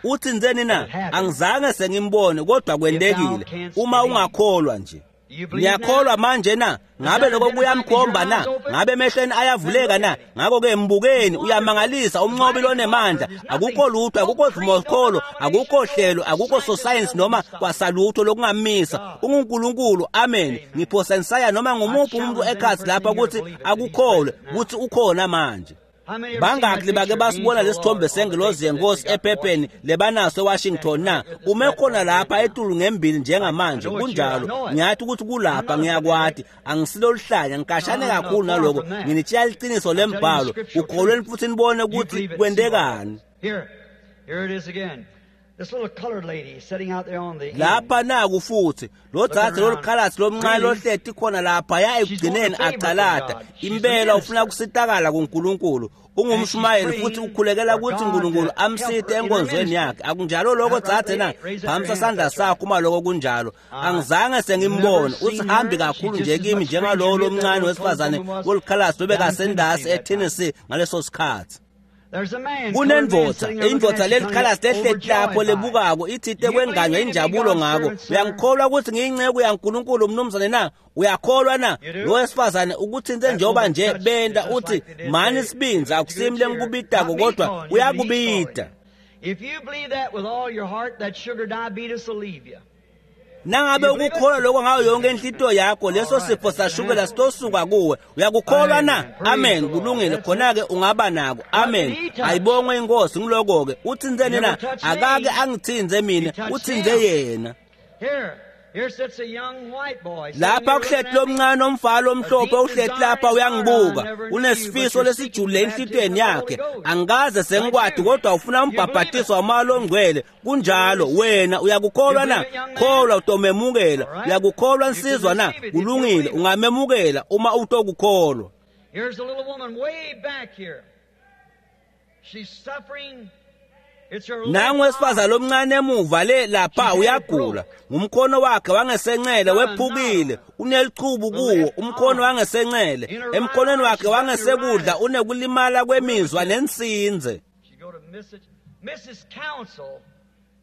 Uthi nzeni na? Angizange sengimbone, kodwa kwentekile. Uma ungakholwa nje. Niyakholwa manje na? Ngabe lokho kuyamkhomba na? Ngabe emehlweni ayavuleka na? Ngakho-ke mbukeni, uyamangalisa, umnqobi lonemandla. Akukho lutho, akukho vumokholo, akukho hlelo, akukho sosayensi noma kwasalutho lokungamisa. UnguNkulunkulu, amen. Ngiphosa nisaya noma ngumuphi umuntu ekhathi lapha ukuthi akukholwe ukuthi ukhona manje. Bangaki bake basibona lesithombe sengelozi yenkosi ephepheni lebanaso eWashington na? Ume khona lapha etulu ngembili njengamanje, kunjalo. Ngiyathi ukuthi kulapha, ngiyakwati, angisilo lihlanya, ngikashane kakhulu naloko. Nginitshela iqiniso lembhalo, ukholweni futhi nibone ukuthi kwentekani. Lapha naku futhi lo dzadze lolukhalatsi lomncane lohleti khona lapha ya ekugcineni acalata. Impela ufuna kusitakala kuNkulunkulu, ungumshumayeli futhi ukhulekela ukuthi uNkulunkulu amsite enkonzweni yakhe. Akunjalo lokho dzadze na? Phamisa sandla sakho uma lokho kunjalo. Angizange sengimbone, usihambi kakhulu nje kimi njengalowo lomncane wesifazane wolukhalatsi lobekasendasi eTennessee ngaleso sikhathi. Kunendvodza, indvodza lelikhalasi lehleti lapho lebukako ithite kwenganywa injabulo ngako. Uyangikholwa ukuthi ngiyinceku yaNkulunkulu mnumzane na? Uyakholwa na? Lo wesifazane ukuthinte njengoba nje benda uthi mani sibindzi, akusimi lengikubidako kodwa uyakubida. Nangabe ukukholwa lokho ngayo yonke inhlitiyo yakho, leso sifo sashukela sitosuka kuwe. Uyakukholwa na? Amen. Kulungile, khona-ke ungaba nako. Amen. Ayibongwe inkosi. Ngiloko-ke uthinzeni na? Akake angithinze mina, uthinze yena. Lapha kuhleti lomncane omfana omhlophe uhleti lapha uyangibuka, unesifiso lesijulile enhlitiyweni yakhe. Angikaze sengikwati kodwa ufuna umbhabhatiso wamoya longcwele. Kunjalo, wena uyakukholwa na? Kholwa utomemukela. Uyakukholwa nsizwa na? Kulungile, ungamemukela uma utokukholwa. Here's a little woman way back here. She's suffering. Nangu wesifazane lomncane emuva le lapha uyagula. Ngumkhono wakhe wangesencele wephukile, unelichubu kuwo umkhono wangesencele. Emkhonweni wakhe wangesekudla unekulimala kwemizwa nensinze. She go to Missus Missus Counsel.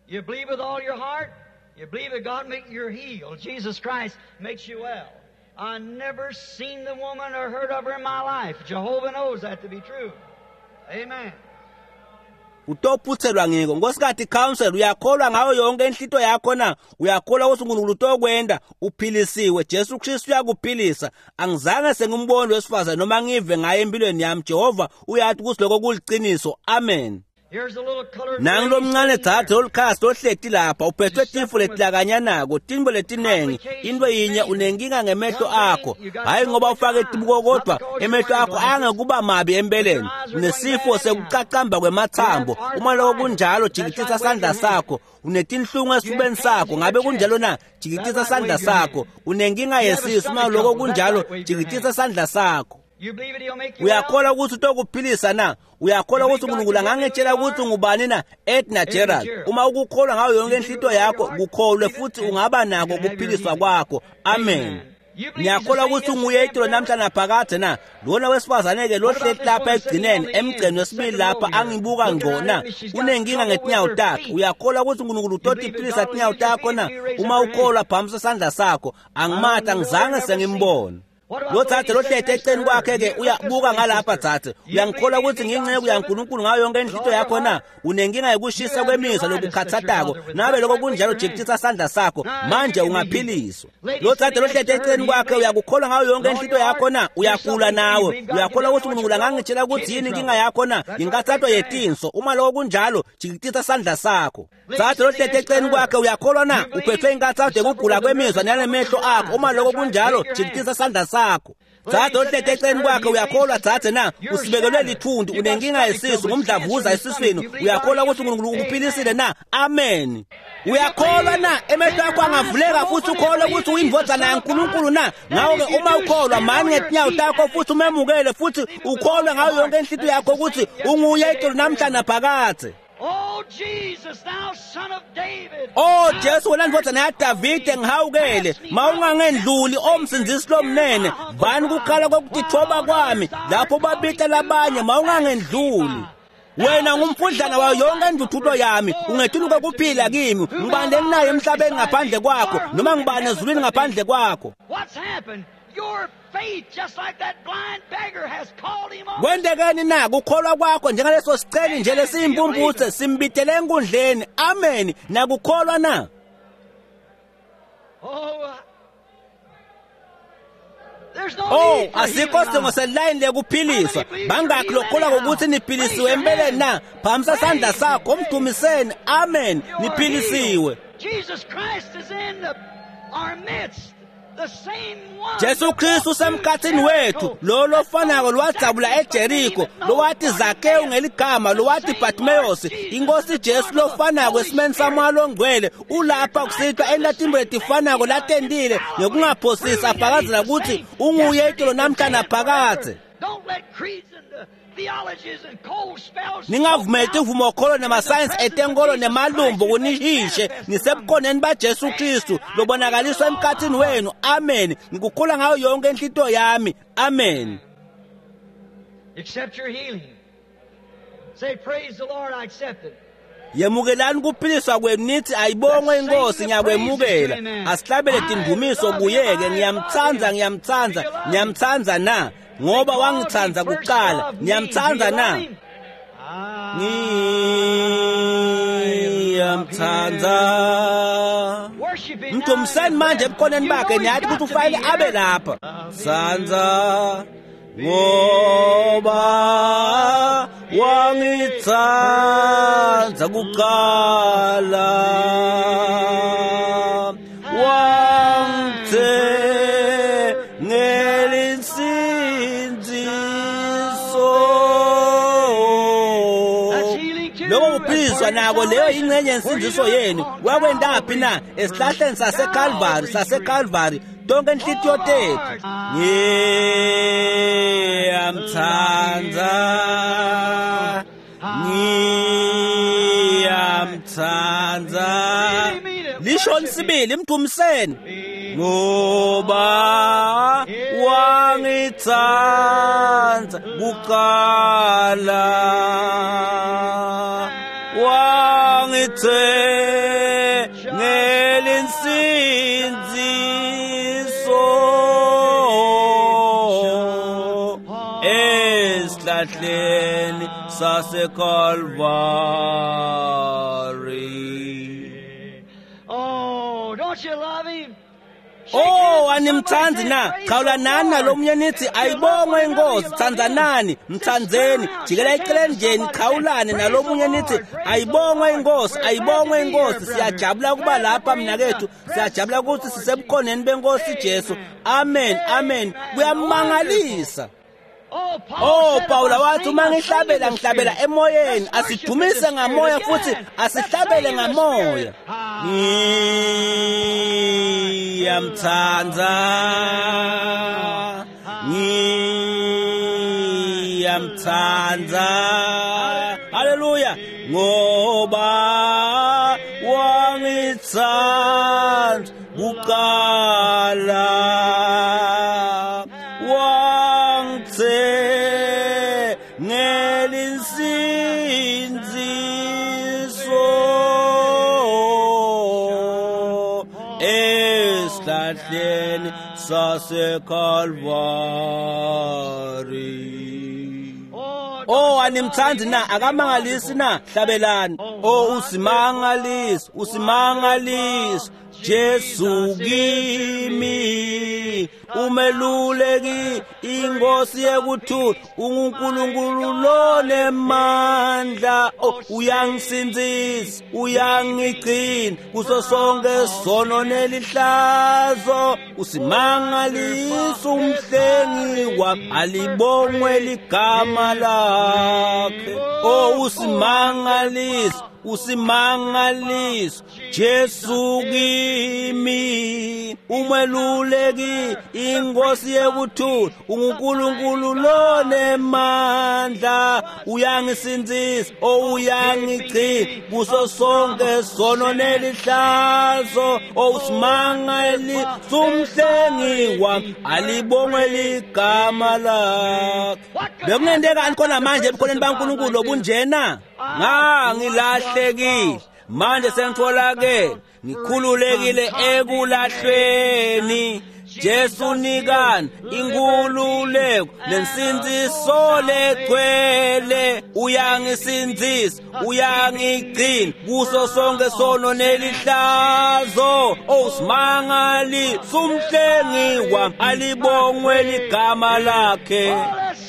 You believe with all your heart? You believe that God make you healed. Jesus Christ makes you well. I never seen the woman or heard of her in my life. Jehovah knows that to be true. Amen. Utophuthelwa ngiko. Nkosikati Counsel, uyakholwa ngayo yonke inhlito yakho na? Uyakholwa ukuthi uNkulunkulu utokwenda uphilisiwe? Jesu Kristu uyakuphilisa. Angizange sengimbone wesifazane noma ngive ngaye empilweni yami. Jehova uyathi ukuthi lokho kuliqiniso. Amen. Nangu lomncane dzadze lolikhasi lohleti lapha uphethwe tifo letilakanyanako, tintfo letinengi. Into yinye, unenkinga ngemehlo akho, hhayi ngoba ufake tibuko kodwa emehlo akho angekuba mabi empeleni. Unesifo sekucacamba kwemathambo. Uma lokho kunjalo, jikitisa sandla sakho. Unetinhlungu esifubeni sakho, ngabe kunjalo na? Jikitisa sandla sakho. Unenkinga yesisu, uma lokho kunjalo, jikitisa sandla sakho. Uyakholwa ukuthi utokuphilisa na? Uyakholwa ukuthi uNkulunkulu angangitshela ukuthi ungubani na? Edna Gerald, uma ukukholwa ngayo yonke inhlito yakho, kukholwe futhi ungaba nako ukuphiliswa kwakho. Amen. Ngiyakholwa ukuthi unguye itolo namhla naphakade na? Lona wesifazane-ke lohleti lapha ekugcineni emgceni wesibili lapha angibuka ngqo na? Unenkinga ngetinyawo takhe. Uyakholwa ukuthi uNkulunkulu utotiphilisa tinyawo takho na? Uma ukholwa, phamisa sandla sakho. Angimati, angizange sengimbone. Lo dzadze lohleti eceleni kwakhe-ke uyabuka ngalapha. Dzadze, uyangikholwa ukuthi ngiyinceku yaNkulunkulu ngayo yonke inhlito yakho na? Unenkinga yokushisa kwemizwa lokukhathatako. Nabe lokho kunjalo, jikitisa sandla sakho manje, ungaphiliswa. Lo dzadze lohleti eceleni kwakhe uyakukholwa ngayo yonke inhlito yakho na? Uyagula nawe. Uyakholwa ukuthi uNkulunkulu angangitshela ukuthi yini inkinga yakho na? Yinkathato yetinso. Uma lokho kunjalo, jikitisa sandla sakho. Dzadze lohleti eceleni kwakhe uyakholwa na? Uphethwe inkathato yokugula kwemizwa nalemehlo akho. Uma lokho kunjalo, jikitisa sandla sakho. Dzadze ohleti eceleni kwakhe uyakholwa dzadze na? Usibekelwe lithundu, unenkinga yesisu, ngumdlavuza esiswini. Uyakholwa ukuthi uNkulunkulu ukuphilisile na? Amen. Uyakholwa na? Emehlo akho angavuleka futhi ukholwe ukuthi uyindvodzana yaNkulunkulu na? Ngakho-ke uma ukholwa, mani ngetinyawo takho futhi umemukele futhi ukholwe ngayo yonke inhlito yakho ukuthi unguye itolo namhla naphakadze. Oh Jesus, thou son of David. Oh Jesu, wena ndvodzana yaDavide, ngihawukele. Mawungangendluli, omsindzisi lomnene. Vani kukhala kokutithoba kwami lapho babita labanye, mawungangendluli. Wena ngumfudlana wayo yonke induthulo yami, ungetuluka kuphila kimi. Ngibani lenginayo emhlabeni ngaphandle kwakho, noma ngibani ezulwini ngaphandle kwakho? What's happened? Your faith, just like that blind beggar, has called him on. Kwentekeni na? Kukholwa kwakho njengaleso siceli nje lesiyimpumputhe simbitele enkundleni. Amen. Nakukholwa na? Oh, there's no Oh, need for asikho healing sidingo now. selayini lekuphiliswa. Bangakhi lokholwa ngokuthi niphilisiwe empeleni na? Phamisa sandla sakho, mdumiseni. Amen. You are Niphilisiwe. healed. Jesus Christ is in the, our midst. The same one. Jesu Kristu usemkhathini wethu, lo lofanako lowadzabula eJeriko, lowathi Zakewu ngeligama, lowathi Bartimaeus. Inkosi Jesu lofanako esimeni samoya longcwele ulapha kusihlwa entatimbo letifanako latentile ngekungaphosisi afakazela ukuthi unguye itolo namhla naphakadze. Don't let creeds and the theologies and cold spells Ningavumeli tivumokholo nemasayensi etenkolo nemalumbo kunihishe nisebukhoneni baJesu Kristu lobonakaliswa emkhathini wenu. Amen. Ngikukholwa ngayo yonke inhlito yami. Amen. Accept your healing. Say, praise the Lord, I accept it. Yemukelani kuphiliswa kwenu nithi ayibongwe inkosi, ngiyakwemukela. Asihlabele tindumiso kuye-ke. Ngiyamtsandza, ngiyamtsandza, ngiyamtsandza na? Ngoba wangitsandza kuqala. Ngiyamtsandza na? Ngiyamtsandza. Worship him now. Mdumiseni manje ebukhoneni You know bakhe, he's niyathi got ukuthi to be ufanele here. abe lapha. Tsandza ngoba wangitsandza kuqala. Kodwa nako leyo ingcenye yensindziso yenu. Wakwendaphi na? Esihlahleni saseKalvari, saseKalvari. Tonke inhlitiyo tethu. Ngiyamthanda, ngiyamthanda. Lisho sibili mdumiseni, ngoba wangithanda kuqala, wangithengela insindziso esihlahleni saseKalvari. Oh, don't you love him? Oh, animthandi na? Chawulanani nalomunye nithi ayibongwe inkosi, thandzanani, mthandzeni, jikela eceleni nje nichawulane nalomunye nithi ayibongwe inkosi, ayibongwe inkosi. Siyajabula kuba lapha mnakethu, siyajabula ukuthi sisebukhoneni benkosi Jesu. Amen, amen. Kuyamangalisa. Oh, Paula wathi uma ngihlabela ngihlabela emoyeni. Asidumise ngamoya futhi asihlabele ngamoya. Ngiyamthanda, ngiyamthanda. Haleluya, ngoba wangithanda kuqala, wangithengela insindziso esihlahleni saseKalvari. Oh, animthandi na? Akamangalisi na? Hlabelani. Oh, usimangalisi, usimangalisi Jesu kimi, umeluleki, inkosi yekuthula, unguNkulunkulu lonemandla. Oh, uyangisindzisa, uyangigcina kuso sonke sono nelihlazo. Usimangalisa umhlengi wami, alibongwe ligama lakhe. Oh, usimangalisa, usimangaliso Jesu kimi, umeluleki, inkosi yekuthula, unguNkulunkulu lonemandla. Uyangisindzisa, oh uyangigcina kuso sonke sono nelihlazo. Oh, usimangaliso umhlengi wami, alibongwe ligama lakhe. Bekungentekani khona manje ebukhoneni baNkulunkulu lobunjena? Ngangilahlekile, manje sengitholakele, ngikhululekile ekulahlweni. Jesu nikani inkululeko nensindziso legcwele. Uyangisindzisa, uyangigcina kuso sonke sono nelihlazo. Oh, simangaliso umhlengi wami, alibongwe ligama lakhe.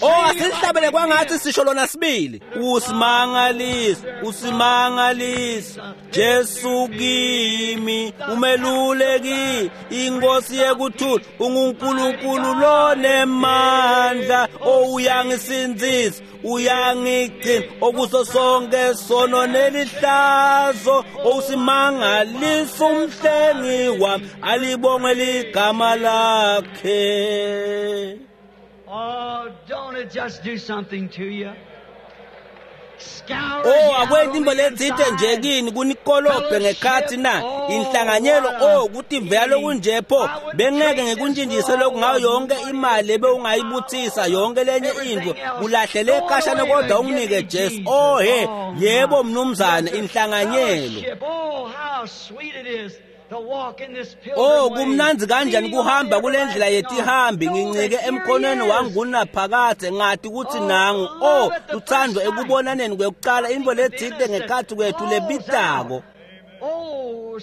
Oh, asihlabele kwangathi sisho lona sibili. Usimangaliso, usimangaliso Jesu kimi, umeluleki, inkosi yekuthula, unguNkulunkulu lonemandla. Oh, uyangisindzisa, uyangigcina okuso sonke sono nelihlazo. Oh, usimangaliso umhlengi wami, alibongwe ligama lakhe. Oh, don't it just do something to you? Oh, akwenti into letsite nje kini kunikolobhe ngekhathi na inhlanganyelo. Oh, kutivela lokunje pho bengeke ngikuntshintshise lokhu ngayo yonke imali ebewungayibuthisa, yonke lenye into kulahlele ekhashana, kodwa unginike Jesu. Oh he, yebo mnumzane, inhlanganyelo. Oh, kumnandzi kanjani kuhamba kule ndlela yetihambi, ngincike emkhonweni wangunaphakadze, ngati ukuthi nangu. Oh, lutsandvo ekubonaneni kwekucala, intfo letsite ngekhatsi kwethu lebitako. Oh,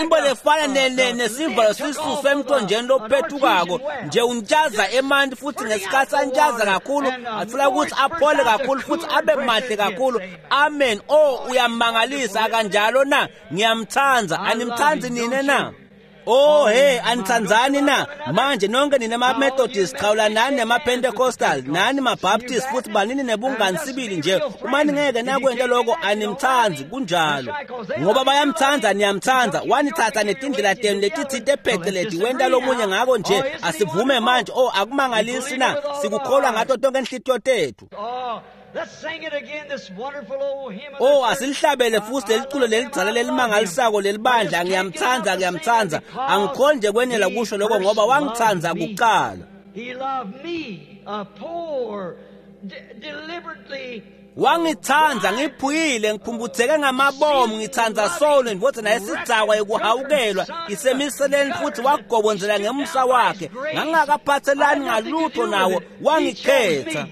into lefana nesivalo sisuswe emthonjeni lophethukako nje, untshaza emanti futhi ngesikhathi antshaza kakhulu athola ukuthi aphole kakhulu futhi abe mahle kakhulu. Amen. Oh, uyamangalisa akanjalo na? Ngiyamthanda. Animthandi nine na? Oh hey, anitsandzani na? Manje nonke nina ma-Methodist qhawula nani nema-Pentecostal, nani ma-Baptist futhi banini nebungani sibili nje. Uma ningeke nakwenta lokho animthandzi kunjalo. Ngoba bayamthanda niyamthanda. Wanithatha netindlela tenu letitsite pheceleti wenta lomunye ngako nje asivume manje. Oh akumangalisi na? Sikukholwa ngato tonke inhlitiyo tethu. Oh asilihlabele futhi leliculo lelidzala lelimangalisako lelibandla ngiyamthanda ngiyamthanda angikhoni nje kwenela kusho lokho ngoba wangithanda kuqala. Wangithanda ngiphuyile ngiphumputheke ngamabomu ngithanda solo ndvodza yesidzakwa yekuhawukelwa isemiseleni futhi wagobonzela ngemusa wakhe ngangakaphathelani ngalutho nawo wangikhetha.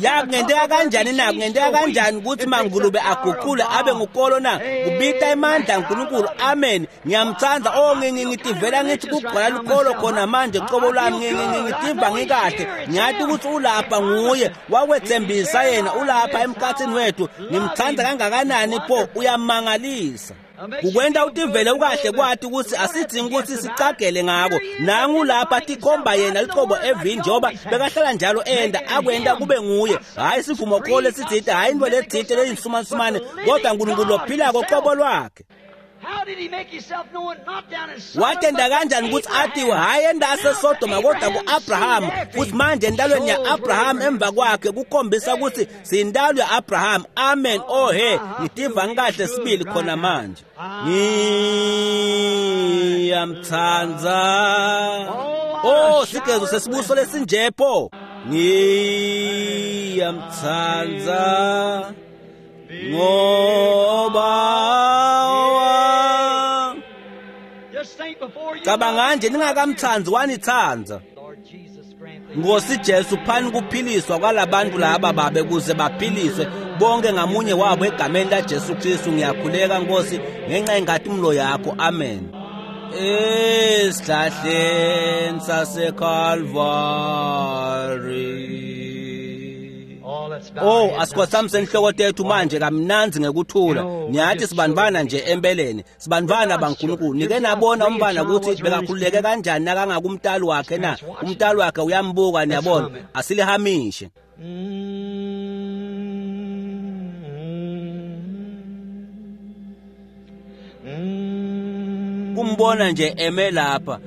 Ya kungenteka kanjani na kungenteka kanjani ukuthi mangulube aguqule abe ngukolo na kubita emandla kaNkulunkulu. Amen. Ngiyamthanda. Oh ngitivela ngithi kugcwala lukholo khona manje qobo lwami ngitiva ngikahle ngiyathi ukuthi ulapha nguye wakwethembisa yena ulapha emkhathini wethu. Ngimthanda kangakanani pho uyamangalisa. Kukwenta utivele ukahle kwathi ukuthi asidingi ukuthi sicagele ngako. Nangu lapha tikhomba yena liqobo evini njengoba bekahlala njalo enda akwenta kube nguye. Hayi sivumo kholo lesitsite, hayi into letsite leyinsumansumane, kodwa uNkulunkulu lophilako qobo lwakhe. Watenda kanjani ukuthi athiwe hayi endase Sodoma kodwa ku-Abraham futhi manje entalweni ya-Abraham emva kwakhe kukhombisa ukuthi siyintalo ya-Abraham. Amen. Oh he, ngitiva ngikahle sibili khona manje. Ngiyamthanda. Oh sigezo sesibuso lesinjepho. Ngiyamthanda ngoba cabanga nje ningakamthanzi wanithanza. Nkosi Jesu phani kuphiliswa kwalabantu laba babe kuze baphiliswe bonke ngamunye wabo egameni la Jesu Kristu. Ngiyakhuleka Nkosi ngenxa yenkatimlo yakho. Amen. Esihlahleni saseKalvari. Oh asikhothamise inhloko tethu manje kamnanzi ngekuthula. Niyathi sibanibana nje empeleni sibanibana baNkulunkulu. Nike nabona umbana ukuthi bekakhululeke kanjani nakangakumntali wakhe na? Umntali wakhe uyambuka niyabona. Asilihamishe. Kumbona nje eme lapha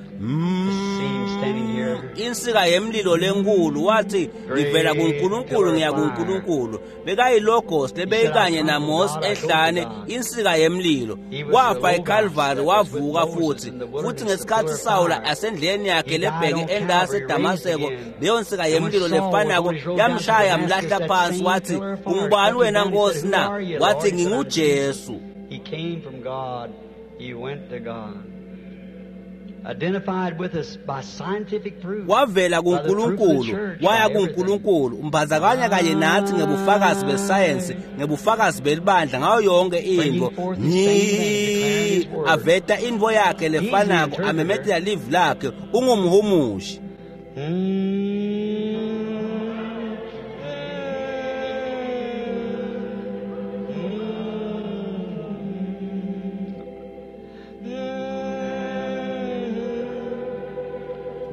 insika yemlilo lenkulu wathi ngivela kuNkulunkulu ngiya kuNkulunkulu. Bekayilogos lebeyikanye naMose ehlane insika yemlilo. Wafa eCalvary wavuka futhi futhi ngesikhathi Sawula asendleleni yakhe lebheke endase eDamaseko leyo nsika yemlilo lefanako yamshaya mlahla phansi wathi ungubani wena Nkosi na? Wathi nginguJesu. He came from God, he went to God. Identified with us by scientific proof. Wavela kuNkulunkulu waya kuNkulunkulu umbazakanya kanye nathi ngebufakazi besayensi ngebufakazi belibandla ngayo yonke into. Ni aveta invo yakhe lefanako amemetela live lakhe ungumhumushi.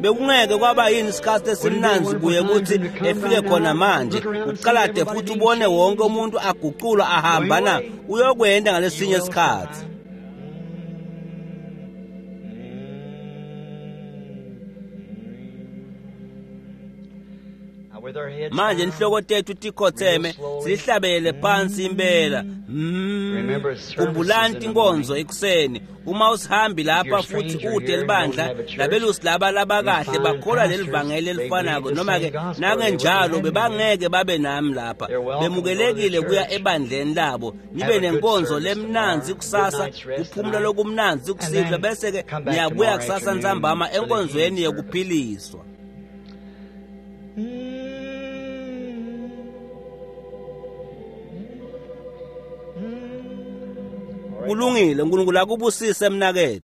Bekungeke kwaba yini isikhathi esimnanzi kuye ukuthi efike khona manje uqalade futhi ubone wonke umuntu aguqulwa ahamba na uyokwenda ngalesinye isikhathi. Manje inhloko tethu tikhotheme sihlabele phansi impela. Khumbulani inkonzo ekuseni uma usihambi lapha futhi ude libandla labelusi laba labakahle bakholwa lelivangeli elifanako noma ke nakenjalo bebangeke babe nami lapha. Bemukelekile kuya ebandleni labo nibe nenkonzo lemnanzi kusasa kuphumula lokumnanzi kusihlwa bese ke niyabuya kusasa ntsambama enkonzweni yekuphiliswa. Kulungile, uNkulunkulu akubusise mnakethu.